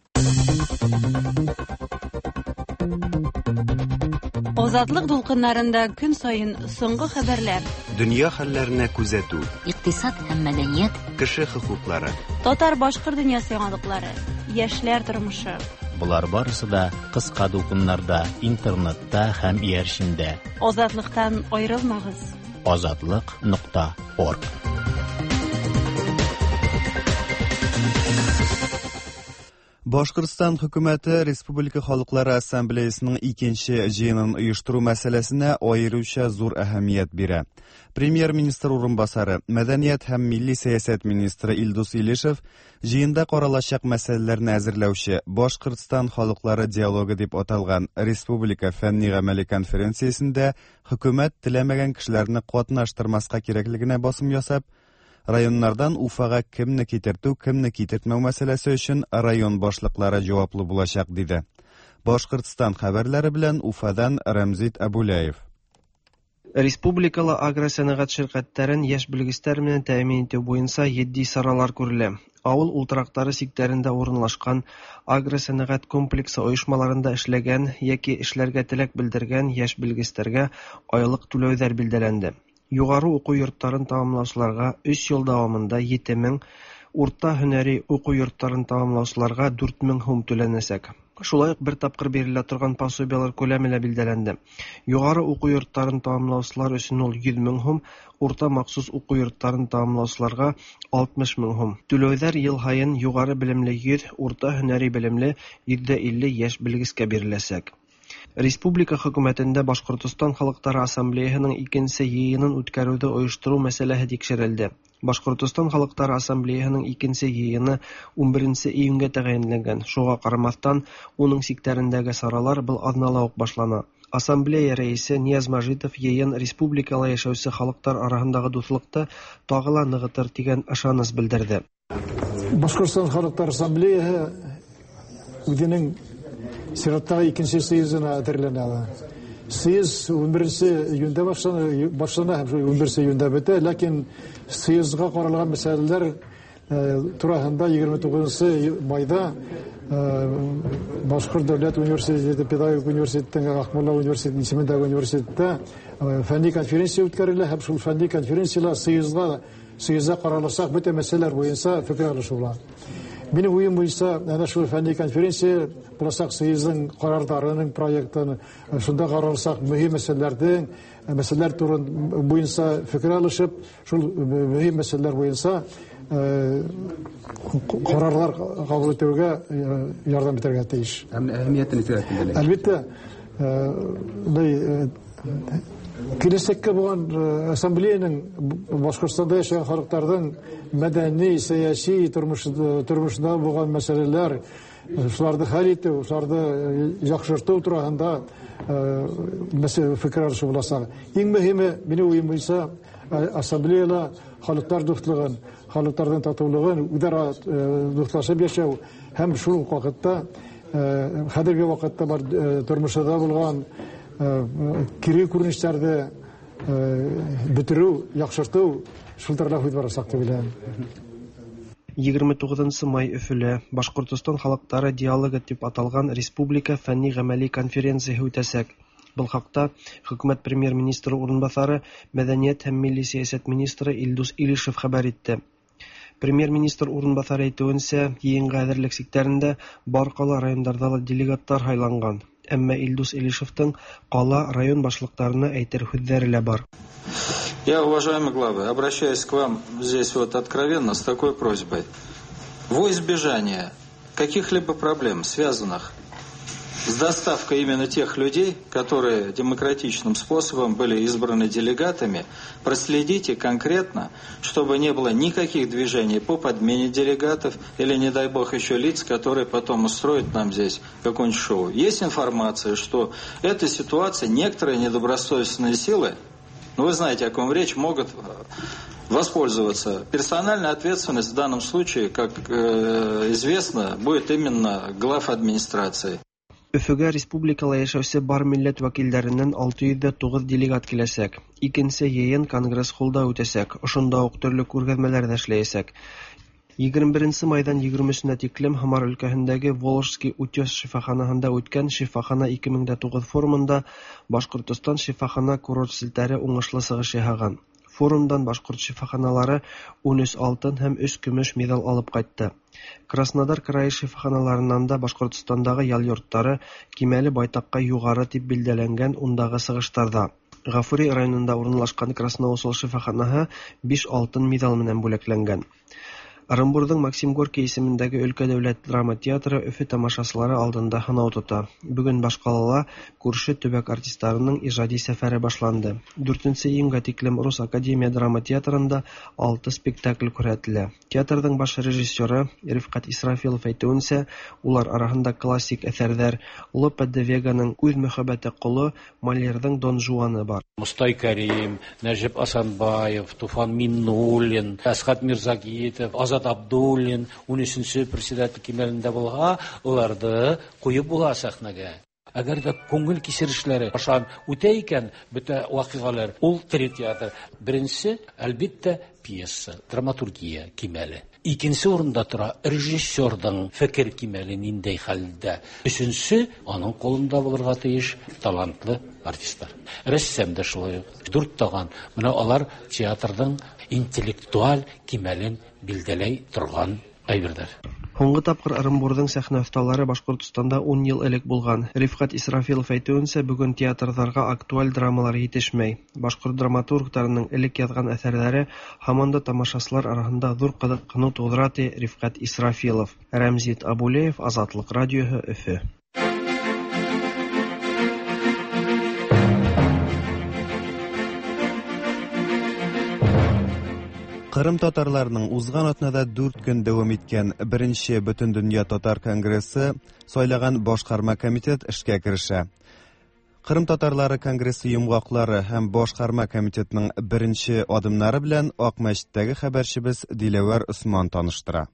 Азатлык дулкыннарында көн саен соңгы хәбәрләр. Дөнья хәлләренә күзәтү. Икътисад һәм мәдәният. Кеше хокуклары. Татар-башкорт дөньясы яңалыклары. Яшьләр тормышы. Болар барысы да кыска дулкыннарда, интернетта һәм иярчендә. Азатлыктан аерылмагыз. Азатлык нокта орг. Башкортстан хөкүмәте Республика халыклары ассамблеясының икенче җыенын оештыру мәсьәләсенә аеруча зур әһәмият бирә. Премьер-министр урынбасары, мәдәният һәм милли сәясәт министры Илдус Илишев җыенда каралачак мәсьәләләрне әзерләүче Башкортстан халыклары диалогы дип аталган республика фәнни-гамәли конференциясендә хөкүмәт теләмәгән кешеләрне катнаштырмаска кирәклегенә басым ясап, Районнардан Уфага кемне китертү, кемне китертмәү мәсьәләсе өчен район башлыклары җаваплы булачак, диде. Башкортстан хәбәрләре белән Уфадан Рәмзит Әбүләев. Республикала агросәнәгать ширкәтләрен яшь белгечләр белән тәэмин итү буенча етди чаралар күрелә. Авыл ултырактары чикләрендә урынлашкан агросәнәгать комплексы оешмаларында эшләгән яки эшләргә теләк белдергән яшь белгечләргә айлык түләүләр билгеләнде. Югары уку йортларын тәмамлаучыларга өч ел дәвамында 7000, урта һөнәри уку йортларын тәмамлаучыларга 4000 һум түләнәчәк. Шулай ук бер тапкыр бирелә торган пособиеләр күләме дә билгеләнде. Югары уку йортларын тәмамлаучылар өчен ул 100 мең һум, урта махсус уку йортларын тәмамлаучыларга 60 мең һум. Түләүләр ел һаен югары белемле 100, урта һөнәри белемле 50% яшь белгечкә биреләчәк. Республика хөкүмәтендә Башкортостан халыклары ассамблеяһының икенче йыйынын үткәрүде оештыру мәсьәләһе тикшерелде. Башкортостан халыклары ассамблеяһының икенче йыйыны 11 июньгә тәгаенләнгән. Шуңа карамастан, уның чикләрендәге чаралар был аҙнала ук башлана. Ассамблея рәисе Нияз Мәжитов йыйын республикала яшәүсе халыктар араһындагы дуҫлыҡты тағы ла нығытыр тигән ышаныс белдерҙе. Башҡортостан халыҡтар ассамблеяһы үҙенең сираттағы икенсе съездына әҙерләнә. Съезд 11 июндә башлана һәм шул 11 июндә бөтә, ләкин съездға ҡаралған мәсьәләләр тураһында 29 майҙа Башҡорт дәүләт университеты, педагогик университеттың Аҡмулла университеты исемендәге университетта фәнни конференция үткәрелә һәм шул фәнни конференцияла съездда ҡараласаҡ бөтә мәсьәләләр буйынса фекер алышыу була. Минең уйым буйынса, әнә шул фәнни конференция буласаҡ съездың ҡарарҙарының проектын, шунда ҡараласаҡ мөһим мәсьәләләрҙең мәсьәләләр турын буйынса фекер алышып, шул мөһим мәсьәләләр буйынса ҡарарҙар ҡабул итеүгә ярҙам итергә тейеш. Әһәмиәтен нисек әйтелде? Әлбиттә, киләсәккә булған ассамблеяның Башҡортостанда йәшәгән халыҡтарҙың мәҙәни, сәйәси тормошонда булған мәсьәләләр, шуларҙы хәл итеү, шуларҙы яҡшыртыу тураһында фекер алышыу буласаҡ. Иң мөһиме, минең уйым буйынса, ассамблеяла халыҡтар дуҫлығын, халыҡтарҙың татыулығын, үҙ-ара дуҫлашып йәшәү һәм шул уҡ ваҡытта хәҙерге ваҡытта бар тормошта булған кире күренештәрҙе бөтөрөү, яҡшыртыу шул турала һүҙ барасаҡ тип уйлайым. 29 май Өфөлә Башҡортостан халыҡтары диалогы тип аталған республика фәнни-ғәмәли конференцияһы үтәсәк. Был хаҡта хөкүмәт премьер-министры урынбаҫары, мәҙәниәт һәм милли сәйәсәт министры Илдус Илишев хәбәр итте. Премьер-министр урынбаҫары әйтеүенсә, йыйынға әҙерлек сиктәрендә бар ҡала райондарҙа ла делегаттар һайланған. Әммә Илдус Илишевтың ҡала район башлыҡтарына әйтер һүҙҙәре лә бар. Я, уважаемые главы, обращаюсь к вам здесь вот откровенно с такой просьбой. Во избежание каких-либо проблем, связанных с доставкой именно тех людей, которые демократичным способом были избраны делегатами, проследите конкретно, чтобы не было никаких движений по подмене делегатов или, не дай бог, еще лиц, которые потом устроят нам здесь какое-нибудь шоу. Есть информация, что эта ситуация, некоторые недобросовестные силы, вы знаете, о ком речь, могут воспользоваться. Персональная ответственность в данном случае, как известно, будет именно глав администрации. Өфөгә республикала йәшәүсе бар милләт вәкилдәренән 609 делегат киләсәк. Икенсе йыйын конгресс-холлда үтәсәк. Ошонда уҡ төрлө күргәҙмәләр ҙә эшләйәсәк. 21 майҙан 23-нә тиклем Һамар өлкәһендәге Волжский утес шифаханаһында үткән Шифахана 2009 форумында Башҡортостан шифахана курорт селтәре уңышлы сығыш яһаған. Форумдан башҡорт шифаханалары 13 алтын һәм 3 көмөш миҙал алып ҡайтты. Краснодар крайы шифаханаларынан да Башҡортостандағы ял йорттары кимәле байтаҡҡа юғары тип билдәләнгән ундағы сығыштарҙа. Ғафури районында урынлашҡан Красноусол шифаханаһы 5 алтын миҙал менән бүләкләнгән. Ырымбурҙың Максим Горький исемендәге өлкә дәүләт драма театры Өфө тамашасылары алдында һынау тота. Бөгөн баш ҡалала күрше төбәк артистарының ижади сәфәре башланды. 4 июньгә тиклем Рус академия драма театрында 6 спектакль күрһәтелә. Театрҙың баш режиссеры Рифҡәт Исрафилов әйтеүенсә, улар араһында классик әҫәрҙәр Лопе де Веганың Үҙ мөхәббәте ҡоло, Мольерҙың Дон Жуаны бар. Мостай Кәрим, Нәжип Асанбаев, Туфан Миннуллин, Әсхәт Мирзагитов, Азат Абдуллин, 13-нче председатель кимәлендә булһа, уларҙы ҡуйып була сәхнәгә. Әгәр ҙә күңел кисерешләре аша үтә икән, бөтә ваҡиғалар, ул тере театр. Беренсе, әлбиттә, пьеса, драматургия кимәле. Икенсе урында тора режиссерҙың фекер кимәле ниндәй хәлдә. Өсөнсө, аның ҡулында булырға тейеш талантлы артистлар. Рәссам да шулай уҡ. Дүрт таған. Бына алар театрҙың интеллектуаль кимәлен билдәләй торған әйберҙәр. Һуңғы тапҡыр Ырымбурҙың сәхнә оҫталары Башҡортостанда 10 йыл элек булған. Рифҡәт Исрафилов әйтеүенсә, бөгөн театрҙарға актуаль драмалар етешмәй. Башҡорт драматургтарының элек яҙған әҫәрҙәре һаман да тамашасылар араһында ҙур ҡыҙыҡһыныу тыуҙыра, ти Рифҡәт Исрафилов. Рәмзит Абулеев, Азатлыҡ радиоһы, Өфө. Кырым татарларының узган атнада 4 көн дәвам иткән беренче Бөтендөнья татар конгрессы сайлаган башкарма комитет эшкә керешә. Кырым татарлары конгрессы йомгаклары һәм башкарма комитетның беренче адымнары белән Акмәчеттәге хәбәрчебез Диләвәр Осман таныштыра.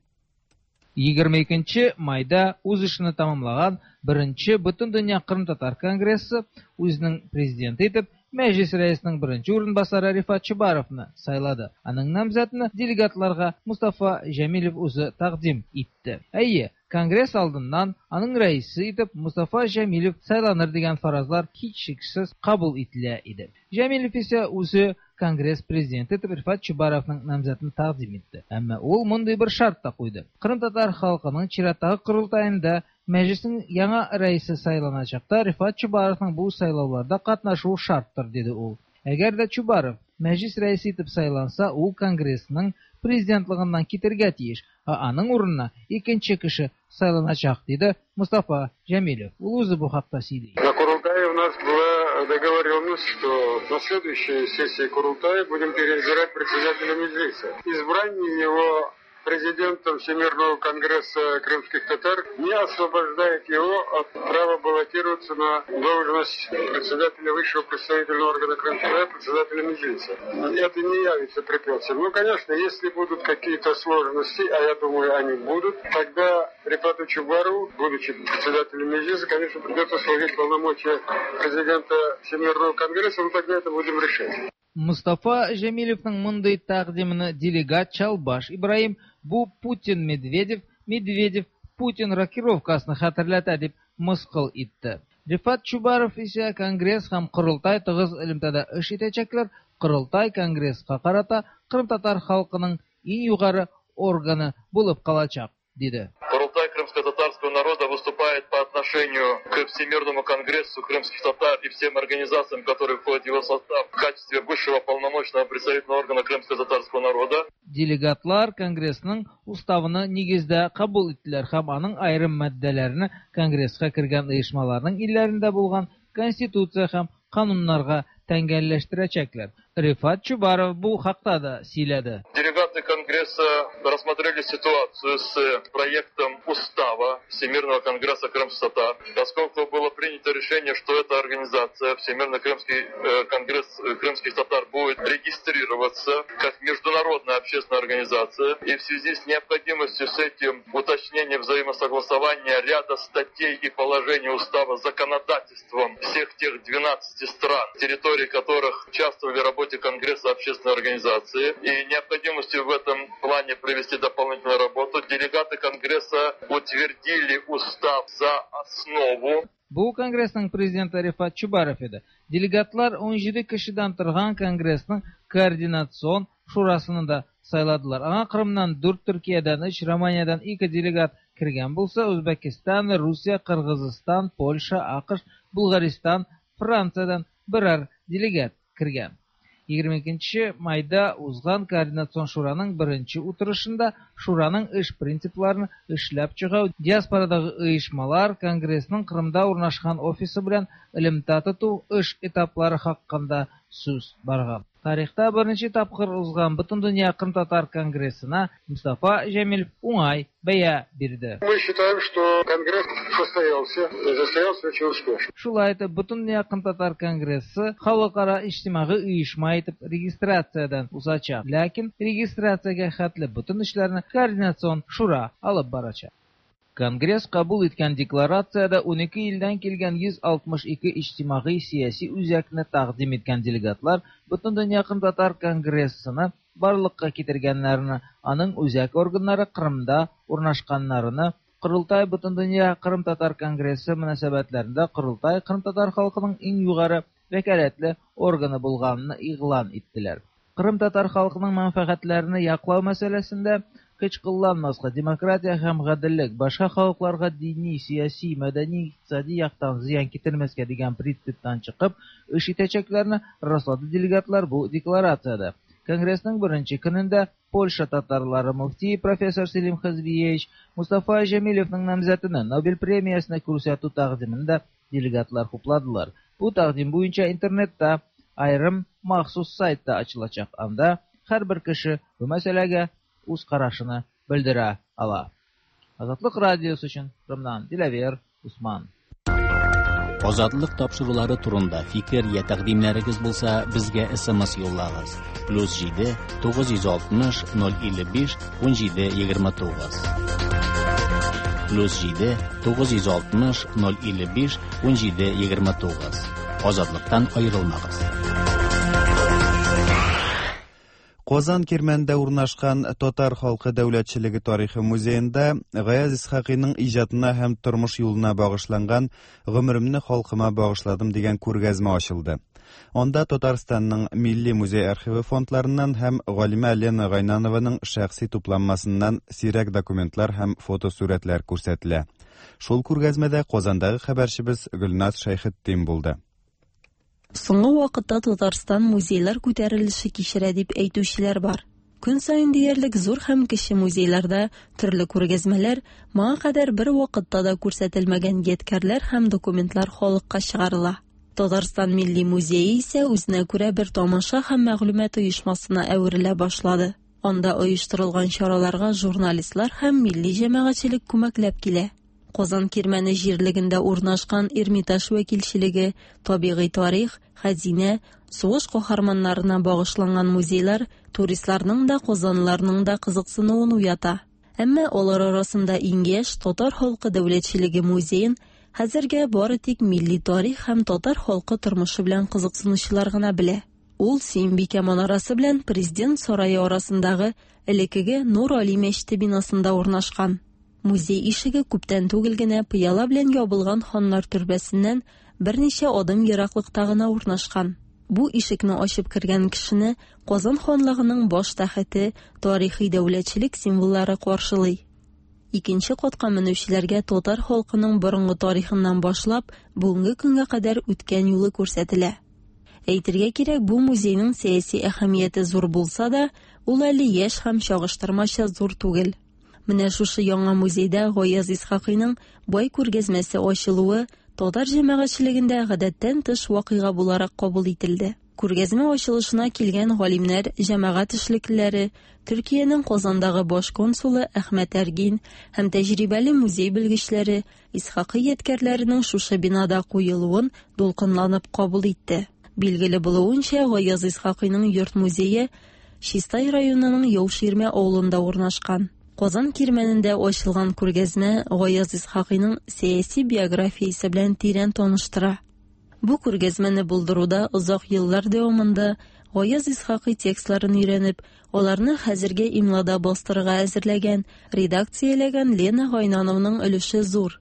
22 майда үз эшен тәмамлаган беренче Бөтендөнья Кырым-татар конгрессы үзенең президенты итеп Мәҗлис рәисенең беренче урынбасары Рифат Чубаровны сайлады. Аның намзәтен делегатларга Мустафа Җәмилев үзе тәкъдим итте. Әйе, конгресс алдыннан аның рәисе итеп Мустафа Җәмилев сайланыр дигән фаразлар һичшиксез кабул ителә иде. Җәмилев исә үзе конгресс президенты итеп Рифат Чубаровның намзәтен тәкъдим итте. Әмма ул мондый бер шарт та куйды. Кырым-татар халкының чираттагы корылтаенда Мәҗлеснең яңа рәисе сайланачакта Рифат Чубаровның бу сайлауларда катнашуы шарттыр, диде ул. Әгәр дә Чубаров Мәҗлес рәисе итеп сайланса, ул конгрессның президентлыгыннан китергә тиеш, ә аның урынына икенче кеше сайланачак, диде Мостафа Җәмилев. Ул үзе бу хакта сөйли. На Курултае у нас была договоренность, что на следующей сессии Курултая будем переизбирать председателя Меджлиса. Избрание его президентом Всемирного конгресса крымских татар не освобождает его от права баллотироваться на должность председателя высшего представительного органа крымских татар, председателя Меджлиса. Это не явится препятствием. Ну, конечно, если будут какие-то сложности, а я думаю, они будут, тогда Рифату Чубарову, будучи председателем Меджлиса, конечно, придется сложить полномочия президента Всемирного конгресса, но тогда это будем решать. Мостафа Җәмилевнең мондый тәкъдимене делегат Чалбаш Ибраһим бу Путин-Медведев, Медведев-Путин рокировкасын хәтерләтә дип мыскыл итте. Рифат Чубаров исә конгресс һәм корылтай тыгыз элемтәдә эш итәчәкләр, корылтай конгресска карата кырымтатар халкының иң югары органы булып калачак, диде. Курултай крымско-татарского народа выступает по отношению к Всемирному конгрессу крымских татар и всем организациям, которые входят в его состав, в качестве высшего полномочного представительного органа крымско-татарского народа. Делегатлар конгрессның уставын нигездә кабул иттеләр һәм аның аерым маддәләрен конгресска кергән оешмаларның илләрендә булган конституция һәм кануннарга тәңгәлләштерәчәкләр. Рифат Чубаров бу хакта да сөйләде. Делегаты Конгресса рассмотрели ситуацию с проектом устава Всемирного конгресса крымских татар, поскольку было принято решение, что эта организация, Всемирный крымский конгресс крымских татар, будет регистрироваться как международная общественная организация, и в связи с необходимостью с этим уточнения взаимосогласования ряда статей и положений устава законодательством всех тех 12 стран, территории которых участвовали в работе Конгресса общественной организации, и необходимостью в этом плане провести дополнительную работу, делегаты Конгресса утвердили устав за основу. Бу конгрессның президенты Рифат Чубаров иде. Делегатлар 17 кешедән торган конгрессның координацион шурасын да сайладылар. Аңа Кырымнан 4, Төркиядән 3, Романиядән 2 делегат кергән булса, Үзбәкстан, Русия, Кыргызстан, Польша, АКШ, Булгаристан, Франциядән берәр делегат кергән. 22 майда узган координацион шураның беренче утырышында шураның эш принципларын эшләп чыгу, диаспорадагы оешмалар, конгрессның Кырымда урнашкан офисы белән элемтә тоту эш этаплары хакында сүз барган. Тарихта беренче тапкыр узган Бөтендөнья Кырым-татар конгрессына Мустафа Җәмилев уңай бәя бирде. Мы считаем, что конгресс состоялся, состоялся очень успешно. Шулай итеп, Бөтендөнья Кырым-татар конгрессы халыкара иҗтимагый оешма итеп регистрациядән узачак. Ләкин регистрациягә хәтле бөтен эшләрне координацион шура алып барачак. Конгресс кабул иткән декларациядә 12 илдән килгән 162 иҗтимагый сәяси үзәкне тәкъдим иткән делегатлар Бөтендөнья Кырым-татар конгрессыны барлыкка китергәннәрне, аның үзәк органнары Кырымда урнашканнарны, Корылтай Бөтендөнья Кырым-татар конгрессы мөнәсәбәтләрендә Корылтай кырымтатар халкының иң югары вәкаләтле органы булганын игълан иттеләр. Кырым-татар халкының мәнфәгатьләрен яклау мәсьәләсендә көч кулланмаска, демократия һәм гаделлек, башка халыкларга дини, сәяси, мәдәни, икътисади яктан зыян китермәскә дигән принциптан чыгып, эш итәчәкләрне раслады делегатлар бу декларациядә. Конгрессның беренче көнендә Польша татарлары мөфтие профессор Селим Хазбиевич Мустафа Җәмилевның намзәтен Нобель премиясенә күрсәтү тәкъдимен дә делегатлар хупладылар. Бу тәкъдим буенча интернетта аерым махсус сайт та ачылачак. Анда һәрбер кеше бу мәсьәләгә үз карашын белдерә ала. Азатлык радиосы өчен Кырымнан Диләвер Усман. Азатлык тапшырулары турында фикер я тәкъдимнәрегез булса, безгә SMS юллагыз. Плюс 7 960 055 17 29. Плюс 7 960 055 17 29. Азатлыктан аерылмагыз. Казан Кирмәндә урнашкан Татар халкы дәүләтчелеге тарихы музеенда Гаяз Исхакыйның иҗатына һәм тормыш юлына багышланган Гомеремне халкыма багышладым дигән күргәзмә ачылды. Анда Татарстанның Милли музей архивы фондларыннан һәм галимә Лена Гайнанованың шәхси тупланмасыннан сирәк документлар һәм фотосурәтләр күрсәтелә. Шул күргәзмәдә Казандагы хәбәрчебез Гөлназ Шәйхетдин булды. Соңгы вакытта Татарстан музейлар күтәрелеше кичерә дип әйтүчеләр бар. Көн саен диярлек зур һәм кече музейларда төрле күргәзмәләр, моңа кадәр бер вакытта да күрсәтелмәгән ядкәрләр һәм документлар халыкка чыгарыла. Татарстан Милли музее исә үзенә күрә бер тамаша һәм мәгълүмат оешмасына әверелә башлады. Анда оештырылган чараларга журналистлар һәм милли җәмәгатьчелек күмәкләп килә. Казан Кирмәне җирлегендә урнашкан Эрмитаж вәкилчелеге, табигый тарих, хәзинә, сугыш каһарманнарына багышланган музейлар туристларның да, казанлыларның да кызыксынуын уята. Әмма алар арасында иң яшь Татар халкы дәүләтчелеге музеен хәзергә бары тик милли тарих һәм татар халкы тормышы белән кызыксынучылар гына белә. Ул Сөембикә манарасы белән Президент сарае арасындагы элеккеге Нур Али мәчете бинасында урнашкан. Музей ишеге күптән түгел генә пыяла белән ябылган ханнар төрбәсеннән берничә адым ераклыкта гына урнашкан. Бу ишекне ачып кергән кешене Казан ханлыгының баш тәхете, тарихи дәүләтчелек символлары каршылый. Икенче катка менүчеләргә татар халкының борынгы тарихыннан башлап, бүгенге көнгә кадәр үткән юлы күрсәтелә. Әйтергә кирәк, бу музейның сәяси әһәмияте зур булса да, ул әле яшь һәм чагыштырмача зур түгел. Менә шушы яңа музейда Гаяз Исхакыйның бай күргәзмәсе ачылуы татар җәмәгатьчелегендә гадәттән тыш вакыйга буларак кабул ителде. Күргәзмә ачылышына килгән галимнәр, җәмәгать эшлеклеләре, Төркиянең Казандагы баш консулы Әхмәт Әргин һәм тәҗрибәле музей белгечләре Исхакый ядкәрләренең шушы бинада куелуын дулкынланып кабул итте. Билгеле булуынча, Гаяз Исхакыйның йорт-музее Чистай районының Яуширмә авылында урнашкан. Казан Кирмәнендә ачылган күргәзмә Гаяз Исхакыйның сәяси биографиясе белән тирән таныштыра. Бу күргәзмәне булдыруда озак еллар дәвамында Гаяз Исхакый текстларын өйрәнеп, аларны хәзерге имлада бастырырга әзерләгән, редакцияләгән Лена Гайнанованың өлеше зур.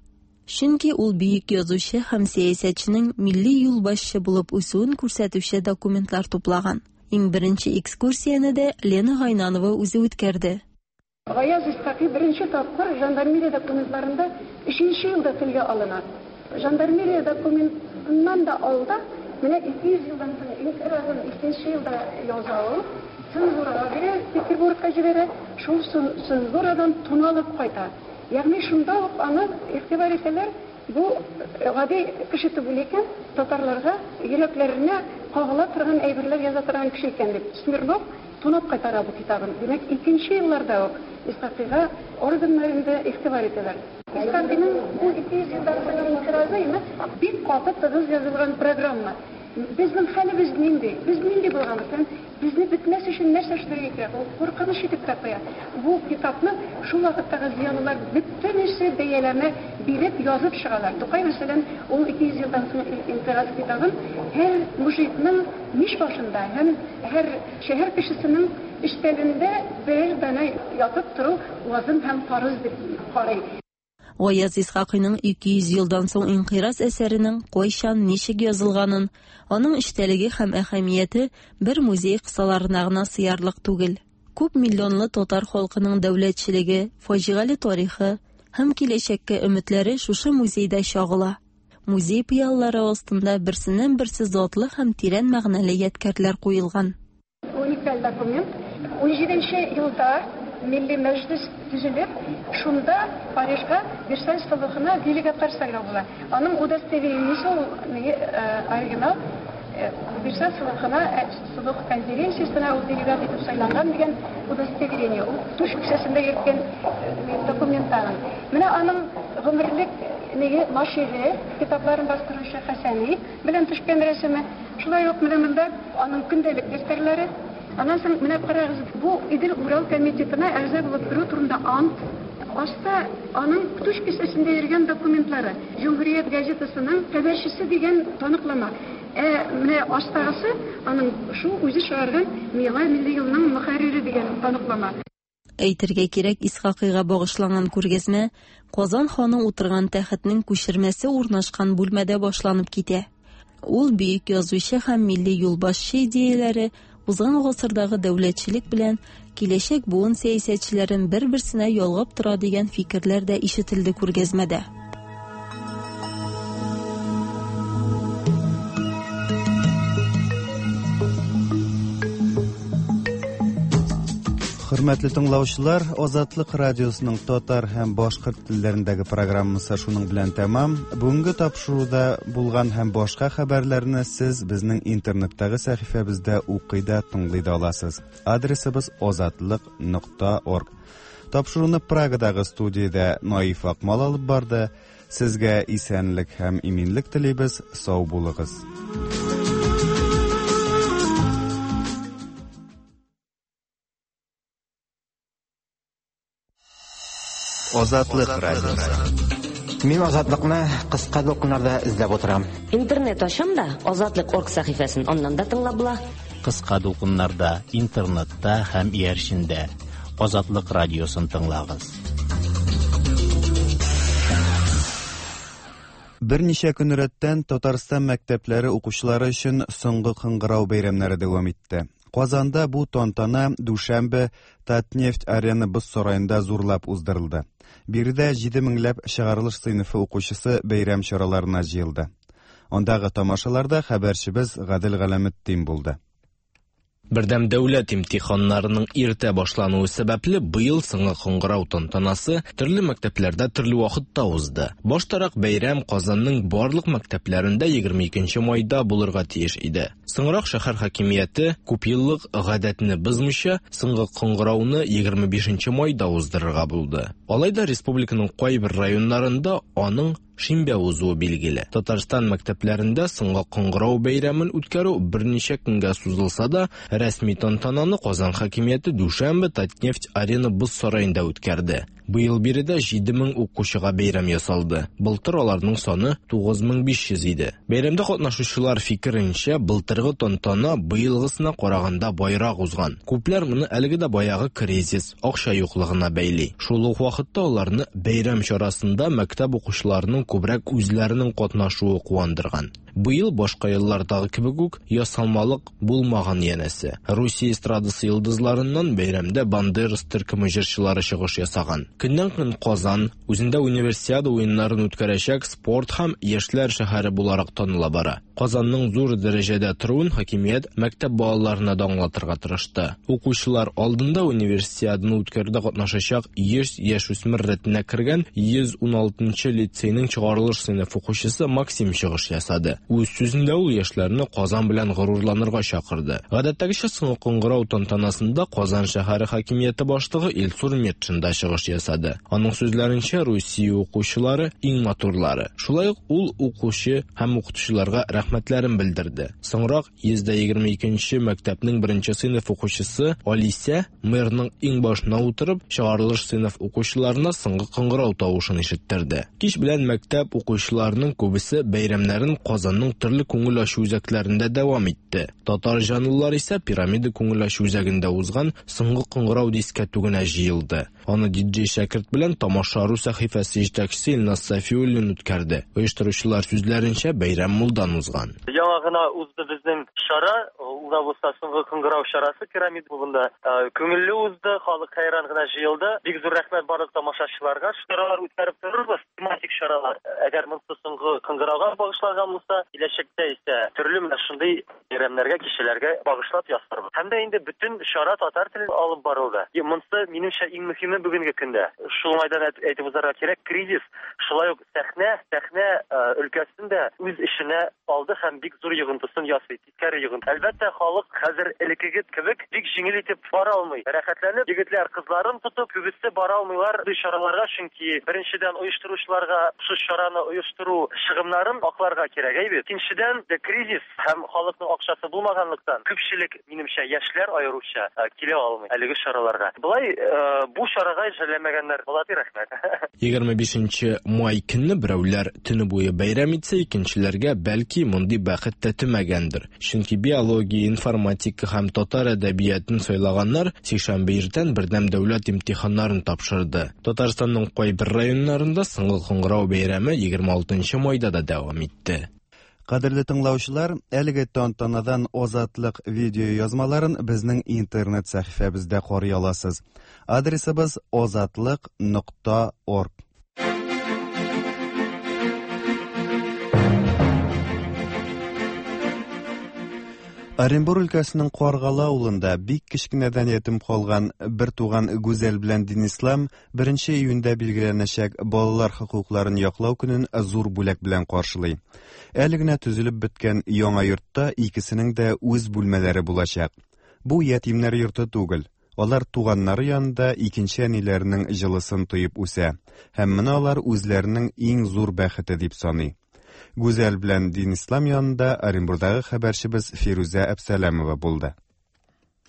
Чөнки ул бөек язучы һәм сәясәтченең милли юлбашчы булып үсүен күрсәтүче документлар туплаган. Иң беренче экскурсияне дә Лена Гайнанова үзе үткәрде. Гаяз Исхакый беренче тапкыр жандармерия документларында өченче елда телгә алына. Жандармерия документыннан да алда, менә 200 елдан соң инкыйразын икенче елда яза ул, цензурага бирә, Петербургка җибәрә, шул цензурадан туналып кайта. Ягъни шунда ук аны игътибар итәләр, бу гади кеше түгел икән, татарларга йөрәкләренә кагыла торган әйберләр яза торган кеше икән дип. Смирнов тунап кайтара бу китабын. Димәк, икенче елларда ук Исхакыйга органнар инде игътибар итәләр. Исхакыйның бу 200 елдан соңгы инкыйразы, имеш, бик каты тыгыз язылган программа. Безнең хәлебез нинди? Без нинди булганбыз? Һәм безне бетмәс өчен нәрсә эшләргә кирәк? Ул куркыныч итеп тә куя. Бу китапны шул вакыттагы зыялылар бөтенесе бәяләмә биреп язып чыгалар. Тукай, мәсәлән, ул 200 елдан соң инкыйраз китабын һәр мужикның мич башында һәм һәр шәһәр кешесенең өстәлендә берәр данә ятып тору лазым һәм фарыз дип карый. Гаяз Исхакыйның 200 елдан соң инкыйраз әсәренең кайчан, ничек язылганын, аның эчтәлеге һәм әһәмияте бер музей кысаларына гына сыярлык түгел. Күп миллионлы татар халкының дәүләтчелеге, фаҗигале тарихы һәм киләчәккә өметләре шушы музейда чагыла. Музей пыялалары астында берсеннән-берсе затлы һәм тирән мәгънәле ядкәрләр куелган. Уникаль документ. Унҗиденче елда Милли Мәҗлес төзелеп, шунда Парижга Версаль солыхына делегатлар сайлау була. Аның удостоверениесе ул оригинал Версаль солыхына, солых конференциясенә ул делегат итеп сайланган дигән удостоверение. Ул түш кесәсендә йөрткән документ аның. Менә аның гомерлек неге нашире, китапларын бастыручы Хәсәни белән төшкән рәсеме. Шулай ук менә монда аның көндәлек дәфтәрләре. Аннан соң менә карагыз, бу Идел-Урал комитетына әгъза булып керү турында ант. Аста аның түш кесәсендә йөргән документлары, Җөмһүрият газетасының хәбәрчесе дигән таныклама. Ә менә астагысы аның шул үзе чыгарган Миңа милли юлның мөхәррире дигән таныклама. Әйтергә кирәк, Исхакыйга багышланган күргәзмә Казан ханы утырган тәхетнең күчермәсе урнашкан бүлмәдә башланып китә. Ул бөек язучы һәм милли юлбашчы идеяләре узган гасырдагы дәүләтчелек белән киләчәк буын сәясәтчеләрен бер-берсенә ялгап тора дигән фикерләр дә ишетелде күргәзмәдә. Хөрмәтле тыңлаучылар, Азатлык радиосының татар һәм башкорт телләрендәге программасы шуның белән тәмам. Бүгенге тапшыруда булган һәм башка хәбәрләрне сез безнең интернеттагы сәхифәбездә укый да, тыңлый да аласыз. Адресыбыз азатлык.орг. Тапшыруны Прагадагы студиядә Наиф Акмал алып барды. Сезгә исәнлек һәм иминлек телибез. Сау булыгыз. Азатлык радиосы. Мин Азатлыкны кыска дулкыннарда эзләп утырам. Интернет ачам да, Азатлык орг сәхифәсен аннан да тыңлап була. Кыска дулкыннарда, интернетта һәм иярчендә. Азатлык радиосын тыңлагыз. Берничә көн рәттән Татарстан мәктәпләре укучылары өчен соңгы кыңгырау бәйрәмнәре дәвам итте. Казанда бу тантана дүшәмбе Татнефть Арена боз сараенда зурлап уздырылды. Биредә 7 меңләп чыгарылыш сыйныфы укучысы бәйрәм чараларына җыелды. Андагы тамашаларда хәбәрчебез Гадел Галәметдин булды. Бердәм дәүләт имтиханнарының иртә башлануы сәбәпле, быел соңгы кыңгырау тантанасы төрле мәктәпләрдә төрле вакытта узды. Баштарак бәйрәм Казанның барлык мәктәпләрендә 22 майда булырга тиеш иде. Соңрак шәһәр хакимияте күпьеллык гадәтне бозмыйча, соңгы кыңгырауны 25 майда уздырырга булды. Алай да республиканың кайбер районнарында аның шимбә узуы билгеле. Татарстан мәктәпләрендә соңгы кыңгырау бәйрәмен үткәрү берничә көнгә сузылса да, рәсми тантананы Казан хакимияте дүшәмбе Татнефть Арена боз сараенда үткәрде. Быел биредә 7000 укучыга бәйрәм ясалды. Былтыр аларның саны 9500 иде. Бәйрәмдә катнашучылар фикеренчә, былтыргы тантана быелгысына караганда байрак узган. Күпләр моны әлеге дә баягы кризис, акча юклыгына бәйли. Шул ук вакытта аларны бәйрәм чарасында мәктәп укучыларының күбрәк үзләренең катнашуы куандырган. Быел башка еллардагы кебек үк ясалмалык булмаган янәсе. Русия эстрадасы йолдызларыннан бәйрәмдә Бандерас төркеме җырчылары чыгыш ясаган. Көннән-көн Казан үзендә универсиада уеннарын үткәрәчәк спорт һәм яшьләр шәһәре буларак таныла бара. Казанның зур дәрәҗәдә торуын хакимият мәктәп балаларына да аңлатырга тырышты. Укучылар алдында универсиаданы үткәрүдә катнашачак 100 яшүсмер рәтенә кергән 116 лицейның чыгарылыш сыйныф укучысы Максим чыгыш ясады. Үз сүзендә ул яшьләрне Казан белән горурланырга чакырды. Гадәттәгечә соңгы кыңгырау тантанасында Казан шәһәре хакимияте башлыгы Илсур Метшин да чыгыш ясады. Аның сүзләренчә, Русия укучылары иң матурлары. Шулай ук ул укучы һәм укытучыларга рәхмәтләрен белдерде. Соңрак 122 мәктәпнең беренче сыйныф укучысы Алисә мэрның иң башына утырып, чыгарылыш сыйныф укучыларына соңгы кыңгырау тавышын ишеттерде. Кич белән мәктәп укучыларының күбесе бәйрәмнәрен Казанның төрле күңел ачу үзәкләрендә дәвам итте. Татар җанлылар исә Пирамида күңел ачу үзәгендә узган соңгы кыңгырау дискәтүгенә җыелды. Аны диджей Шәкерт белән Тамаша.ру сәхифәсе җитәкчесе Илназ Сафиуллин үткәрде. Оештыручылар сүзләренчә, бәйрәм мулдан узган. Яңа гына узды безнең чара, ул да булса соңгы кыңгырау чарасы Пирамид клубында. Күңелле узды, халык хәйран гына җыелды. Бик зур рәхмәт барлык тамашачыларга. Чаралар үткәреп торырбыз, тематик чаралар. Әгәр монысы соңгы кыңгырауга багышланган булса, киләчәктә исә төрле менә шундый бәйрәмнәргә, кичәләргә багышлап ясарбыз. Һәм дә инде бөтен чара татар телендә алып барылды. Монысы, минемчә, иң мөһиме бүгенге көндә. Шул уңайдан әйтеп узарга кирәк, кризис шулай ук сәхнә, сәхнә өлкәсен дә үз эченә алды. алды һәм бик зур йогынтысын ясый, тискәре йогынты. Әлбәттә, халык хәзер элеккеге кебек бик җиңел итеп бара алмый. Рәхәтләнеп, егетләр кызларын тотып, күбесе бара алмыйлар андый чараларга, чөнки, беренчедән, оештыручыларга шушы чараны оештыру чыгымнарын акларга кирәк, әйе бит? Икенчедән, кризис һәм халыкның акчасы булмаганлыктан, күпчелек, минемчә, яшьләр аеруча килә алмый әлеге чараларга. Болай бу чарага жәлләмәгәннәр, молодцы, рәхмәт. 25 нче май көнне берәүләр төне буе бәйрәм итсә, икенчеләргә, бәлки, мондый бәхет тәтемәгәндер. Чөнки биология, информатика һәм татар әдәбиятын сайлаганнар сишәмбе иртән бердәм дәүләт имтиханнарын тапшырды. Татарстанның кайбер районнарында соңгы кыңгырау бәйрәме 26 нчы майда да дәвам итте. Кадерле тыңлаучылар, әлеге тантанадан Азатлык видеоязмаларын безнең интернет сәхифәбездә карый аласыз. Адресыбыз азатлык нокта орг. Оренбур өлкәсенең Каргалы авылында бик кечкенәдән ятим калган бер туган Гүзәл белән Динислам беренче июньдә билгеләнәчәк Балалар хокукларын яклау көнен зур бүләк белән каршылый. Әле генә төзелеп беткән яңа йортта икесенең дә үз бүлмәләре булачак. Бу ятимнәр йорты түгел. Алар туганнары янында икенче әниләренең җылысын тоеп үсә һәм моны алар үзләренең иң зур бәхете дип саный. Гүзәл белән Динислам янында Оренбурдагы хәбәрчебез Фирүзә Әпсәләмова булды.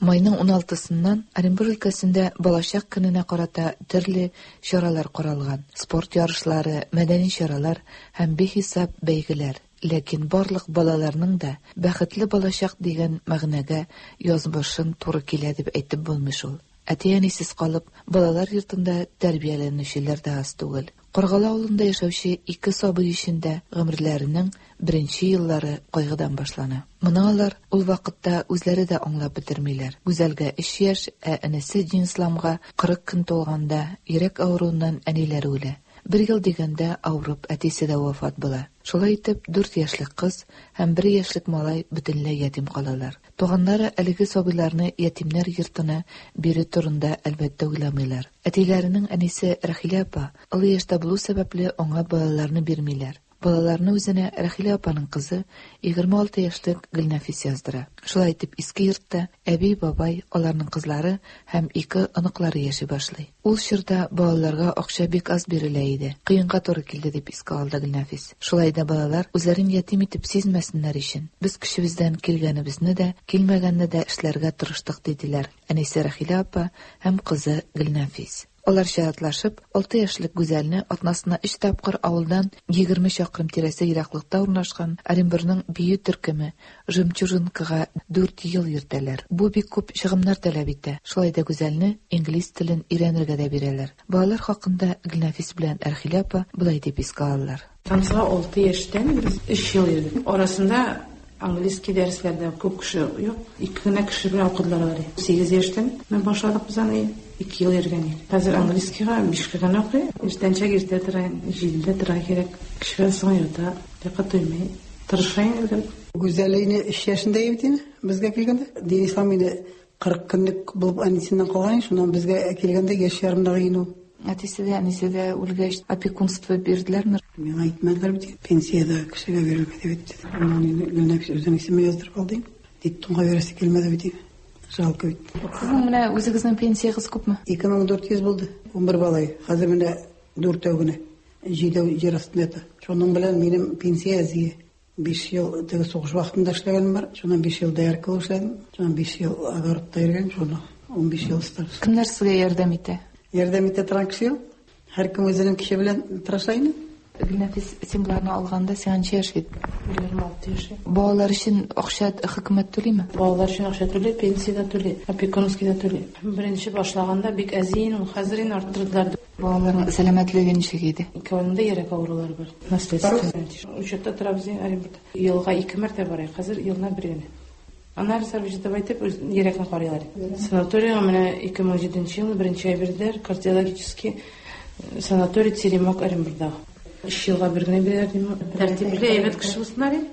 Майның уналтысыннан Оренбур өлкәсендә Балачак көненә карата төрле чаралар каралган, спорт ярышлары, мәдәни чаралар һәм бихисап бәйгеләр. Ләкин барлык балаларның да бәхетле балачак дигән мәгънәгә язмышын туры килә дип әйтеп булмый шул. Әти-әнисез калып, балалар йортында тәрбияләнүчеләр дә аз түгел. Каргалы авылында яшәүче ике сабый өчен дә гомерләренең беренче еллары кайгыдан башлана. Моны алар ул вакытта үзләре дә аңлап бетермиләр. Гүзәлгә өч яшь, ә энесе Динисламга 40 көн тулганда, йөрәк авыруыннан әниләре үлә. Бер ел дигәндә, авырып, әтисе дә вафат була. Шулай итеп, дүрт яшьлек кыз һәм бер яшьлек малай бөтенләй ятим калалар. Туганнары әлеге сабыйларны ятимнәр йортына бирү турында, әлбәттә, уйламыйлар. Әтиләренең әнисе Рәхилә апа олы яшьтә булу сәбәпле, аңа балаларны бирмиләр. Балаларны үзенә Рәхилә апаның кызы, 26 яшьлек Гөлнәфис яздыра. Шулай итеп, иске йортта әби, бабай, аларның кызлары һәм ике оныклары яши башлый. Ул чорда балаларга акча бик аз бирелә иде. Кыенга туры килде, дип искә алды Гөлнәфис. Шулай да балалар үзләрен ятим итеп сизмәсеннәр өчен, без көчебездән килгәнебезне дә, килмәгәнне дә эшләргә тырыштык, диделәр әнисе Рәхилә апа һәм кызы Гөлнәфис. Алар чиратлашып, алты яшьлек Гүзәлне атнасына өч тапкыр авылдан 20 чакрым тирәсе ераклыкта урнашкан Оренбурның бию төркеме Жемчужинкага дүрт ел йөртәләр. Бу бик күп чыгымнар таләп итә. Шулай да Гүзәлне инглиз телен өйрәнергә дә бирәләр. Балалар хакында Гөлнәфис белән Әрхилә апа болай дип искә алалар. Танцыга алты яшьтән без өч ел йөрдек. Арасында английский дәресләрдә күп кеше юк, ике генә кеше белән укыдылар алар. Сигез яшьтән менә башладык без аны, ике ел йөргән идек. Хәзер английскийга бишкә генә укый. Иртәнчәк иртә тора, җидедә торырга кирәк. Кичкә соң ята, йокы туймый. Тырыша инде гел. Гүзәл инде өч яшендә иде бит инде безгә килгәндә. Динислам инде 40 көнлек булып әнисеннән калган иде, шуннан безгә килгәндә яшь ярымдагы иде ул. Әтисе дә, әнисе дә үлгәч, опекунство бирделәрме? Миңа әйтмәделәр бит, пенсиядә кешегә бирелми дип әйтте. Аннан инде Гөлнәфис үзенең исемен яздырып алды инде. Детдомга бирәсе килмәде бит инде. Жалко бит. Сезнең менә үзегезнең пенсиягез күпме? 2400 булды, 11 бала. Хәзер менә дүртәү генә. Җидәү җир астында ята. Шуның белән минем пенсия әзие. Биш ел теге сугыш вакытында эшләгәнем бар. Шуннан биш ел доярка булып эшләдем. Шуннан биш ел огородта йөргән, шуны 15 ел стаж. Кемнәр сезгә ярдәм итә? Ярдәм итә торган кеше юк. Һәркем үзенең көче белән тырыша инде. Гөлнәфис, син боларны алганда сиңа ничә яшь иде? 26 яшь. Балалар өчен акча хөкүмәт түлиме? Балалар өчен акча түли, пенсия дә түли, опекунский да түли. Беренче башлаганда бик әз иде ул, хәзер инде арттырдылар. Балаларның сәламәтлеге ничек иде? Икәүнең дә йөрәк авырулары бар. Наследственный. Учетта торабыз инде Оренбургта. Елга ике мәртәбә барыйк, хәзер елына бер генә. Анализлар биреп әйтеп, үз йөрәкне карыйлар. Санаторийга менә 2007 елны беренче ай бирделәр, кардиологический э, санаторий Теремок Оренбургтагы. Өч елга бер генә бирәләр дим. Тәртипле, әйбәт кеше булсыннар инде.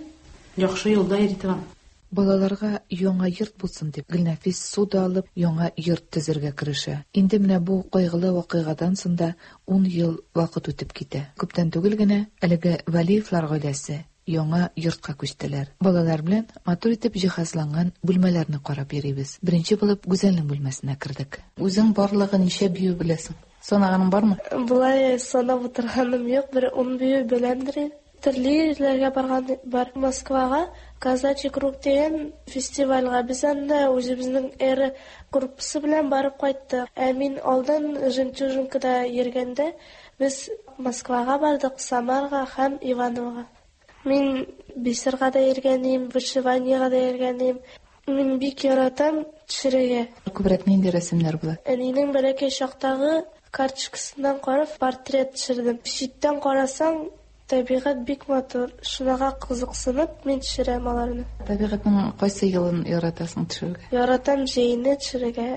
Яхшы юлда йөри торган. Балаларга яңа йорт булсын дип, Гөлнәфис ссуда алып, яңа йорт төзергә керешә. Инде менә бу кайгылы вакыйгадан соң да ун ел вакыт үтеп китә. Күптән түгел генә әлеге Вәлиевлар гаиләсе яңа йортка күчтеләр. Балалар белән матур итеп җиһазланган бүлмәләрне карап йөрибез. Беренче булып Гүзәлнең бүлмәсенә кердек. Үзең барлыгы ничә бию беләсең? Санаганың бармы? Болай санап утырганым юк, бер 10 бию беләмдер инде. Төрле җирләргә барган бар. Москвага Казачий круг дигән фестивальгә без анда үзебезнең Эра группасы белән барып кайттык. Ә мин алдан Жемчужинкада йөргәндә без Москвага бардык, Самарга һәм Ивановога. Мин бисерга да йөргән идем, вышиваниега да йөргән идем. Мин бик яратам төшерергә. Күбрәк нинди рәсемнәр була? Әнинең бәләкәй чактагы карточкасыннан карап портрет төшердем. Читтән карасаң, табигать бик матур. Шунага кызыксынып мин төшерәм аларны. Табигатьнең кайсы елын яратасың төшерергә? Яратам җәйне төшерергә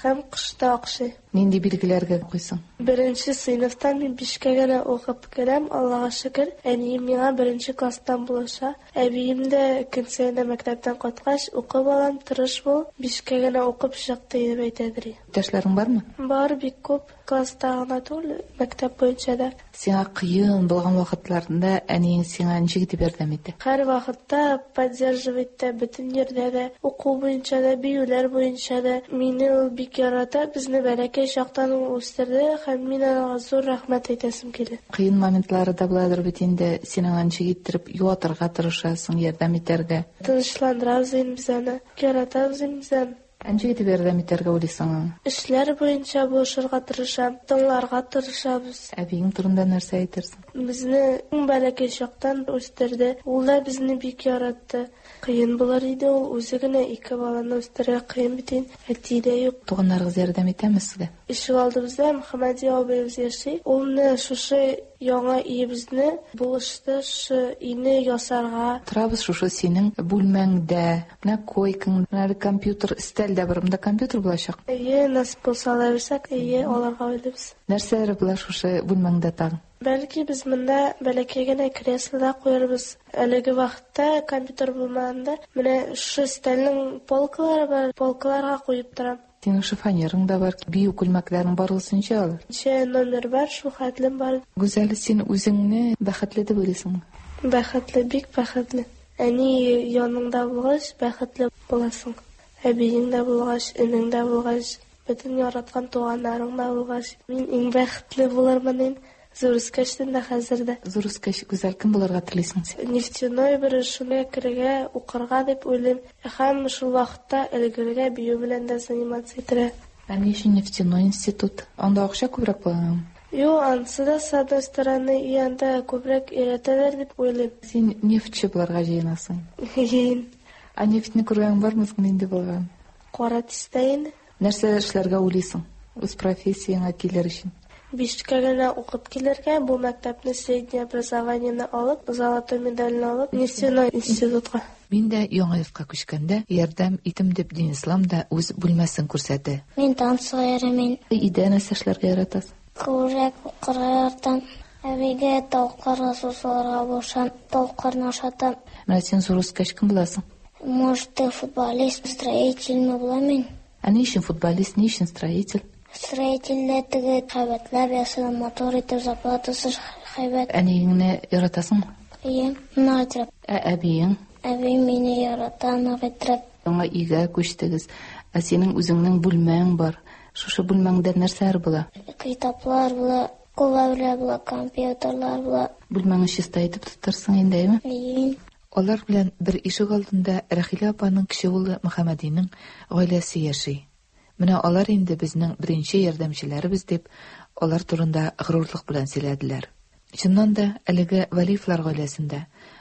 һәм кышта охшый. Нинди билгеләргә куйсың? Беренче сыйныфтан мин бишкә генә укып керәм, Аллага шөкер. Әнием миңа беренче класстан булыша. Әбием дә көн саен мәктәптән кайткач, укы балам, тырыш бул, бишкә генә укып чык дип әйтәдер. Иптәшләрең бармы? Бар, бик күп. Класста гына түгел, мәктәп буенча да. Сиңа кыен булган вакытларында әниең сиңа ничек итеп ярдәм итә? Һәр вакытта поддерживать итә, бөтен җирдә дә, уку буенча да, биюләр буенча да. Мине ул бик ярата, безне бәләкәй чактан ул үстерде һәм мин аңа зур рәхмәт әйтәсем килә. Кыен моментлары да буладыр бит инде, син аңа ничек иттереп юатырга тырышасың, ярдәм итәргә? Тынычландырабыз инде без аны, яратабыз инде без аны. Ә ничек итеп ярдәм итәргә уйлыйсың аңа? Эшләр буенча булышырга тырышам, тыңларга тырышабыз. Әбиең турында нәрсә әйтерсең? Безне иң бәләкәй чактан үстерде. Ул да безне бик яратты. Кыен булыр иде ул үзе генә ике баланы үстерергә кыен бит инде. Әти дә юк. Туганнарыгыз ярдәм итәме сезгә? Ишек алдыбызда Мөхәммәди абыебыз яши. Ул менә шушы яңа өебезне булышты, шушы өйне ясарга. Торабыз шушы синең бүлмәңдә. Менә койкаң, менә әле компьютер, өстәл дә бар. Монда компьютер булачак. Әйе, насыйп булса ала бирсәк, әйе, алырга уйлыйбыз. Нәрсәләр була шушы бүлмәңдә тагын? Бәлки без монда бәләкәй генә кресло да куярбыз. Әлеге вакытта компьютер булмаганда, менә шушы өстәлнең полкалары бар, полкаларга куеп торам. Синең шифоньерың да бар, бию күлмәкләрең барлыгы ничә алар? Ничә номер бар, шул хәтлем бар. Гүзәл, син үзеңне бәхетле дип уйлыйсыңмы? Бәхетле, бик бәхетле. Әни яныңда булгач, бәхетле буласың. Әбиең дә булгач, энең дә булгач, бөтен яраткан туганнарың да булгач, мин иң бәхетле булырмын инде. Зур үскәчтен дә хәзер дә. Зур үскәч, Гүзәл, кем булырга телисең син? Нефтяной бер шуны керергә, укырга дип уйлыйм. Һәм шул вакытта өлгерергә, бию белән дә заниматься итәргә. Ә ни өчен нефтяной институт? Анда акча күбрәк буламы? Юк, анысы да, с одной стороны, и анда күбрәк өйрәтәләр дип уйлыйм. Син нефтьче булырга җыенасың. Җыен. Ә нефтьне күргәнең бармы соң, нинди булган? Кара төстә инде. Нәрсә эшләргә уйлыйсың? Үз профессияңә килер өчен. Бишкә генә укып килергә, бу мәктәпне среднее образованиене алып, золотой медальне алып, нефтяной институтка. Мин дә яңа йортка күчкәндә ярдәм итим дип Динислам да үз бүлмәсен күрсәтә. Мин танцыга йөрим. Өйдә нәрсә эшләргә яратасың? Күбрәк укырга яратам. Әбигә тавыкларга су салырга булышам, тавыкларны ашатам. Менә син зур үскәч кем буласың? Может, футболист, строительме булам мин. Ә ни өчен футболист, ни өчен строитель? Строительләр теге һәйбәтләп ясый, матур итеп, зарплатасы һәйбәт. Әниеңне яратасыңмы? Әйе, нык итеп. Ә әбиең? Әбием мине ярата, нык итеп. Яңа өйгә күчтегез. Ә синең үзеңнең бүлмәң бар. Шушы бүлмәңдә нәрсәләр була? Китаплар була, куллар була, компьютерлар була. Бүлмәңне чиста итеп тотарсың инде, әйеме? Әйе. Алар белән бер ишек алдында Рәхилә апаның кече улы Мөхәммәдинең гаиләсе яши. Менә алар инде безнең беренче ярдәмчеләребез дип, алар турында горурлык белән сөйләделәр. Чыннан да, әлеге Вәлиевләр гаиләсендә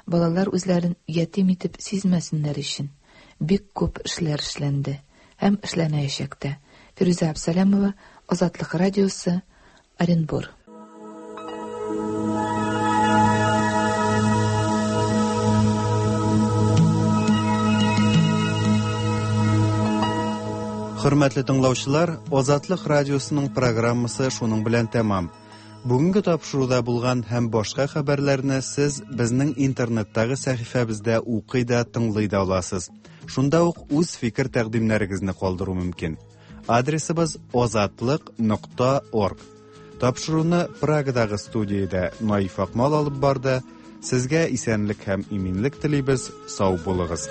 балалар үзләрен ятим итеп сизмәсеннәр өчен бик күп эшләр эшләнде һәм эшләнәячәк тә. Фирүзә Абсалямова, Азатлык радиосы, Оренбур. Хөрмәтле тыңлаучылар, Азатлык радиосының программасы шуның белән тәмам. Бүгенге тапшыруда булган һәм башка хәбәрләрне сез безнең интернеттагы сәхифәбездә укый да, тыңлый да аласыз. Шунда ук үз фикер тәкъдимнәрегезне калдыру мөмкин. Адресыбыз azatliq.org. Тапшыруны Прагадагы студиядә Наиф Акмал алып барды. Сезгә исәнлек һәм иминлек телибез, сау булыгыз.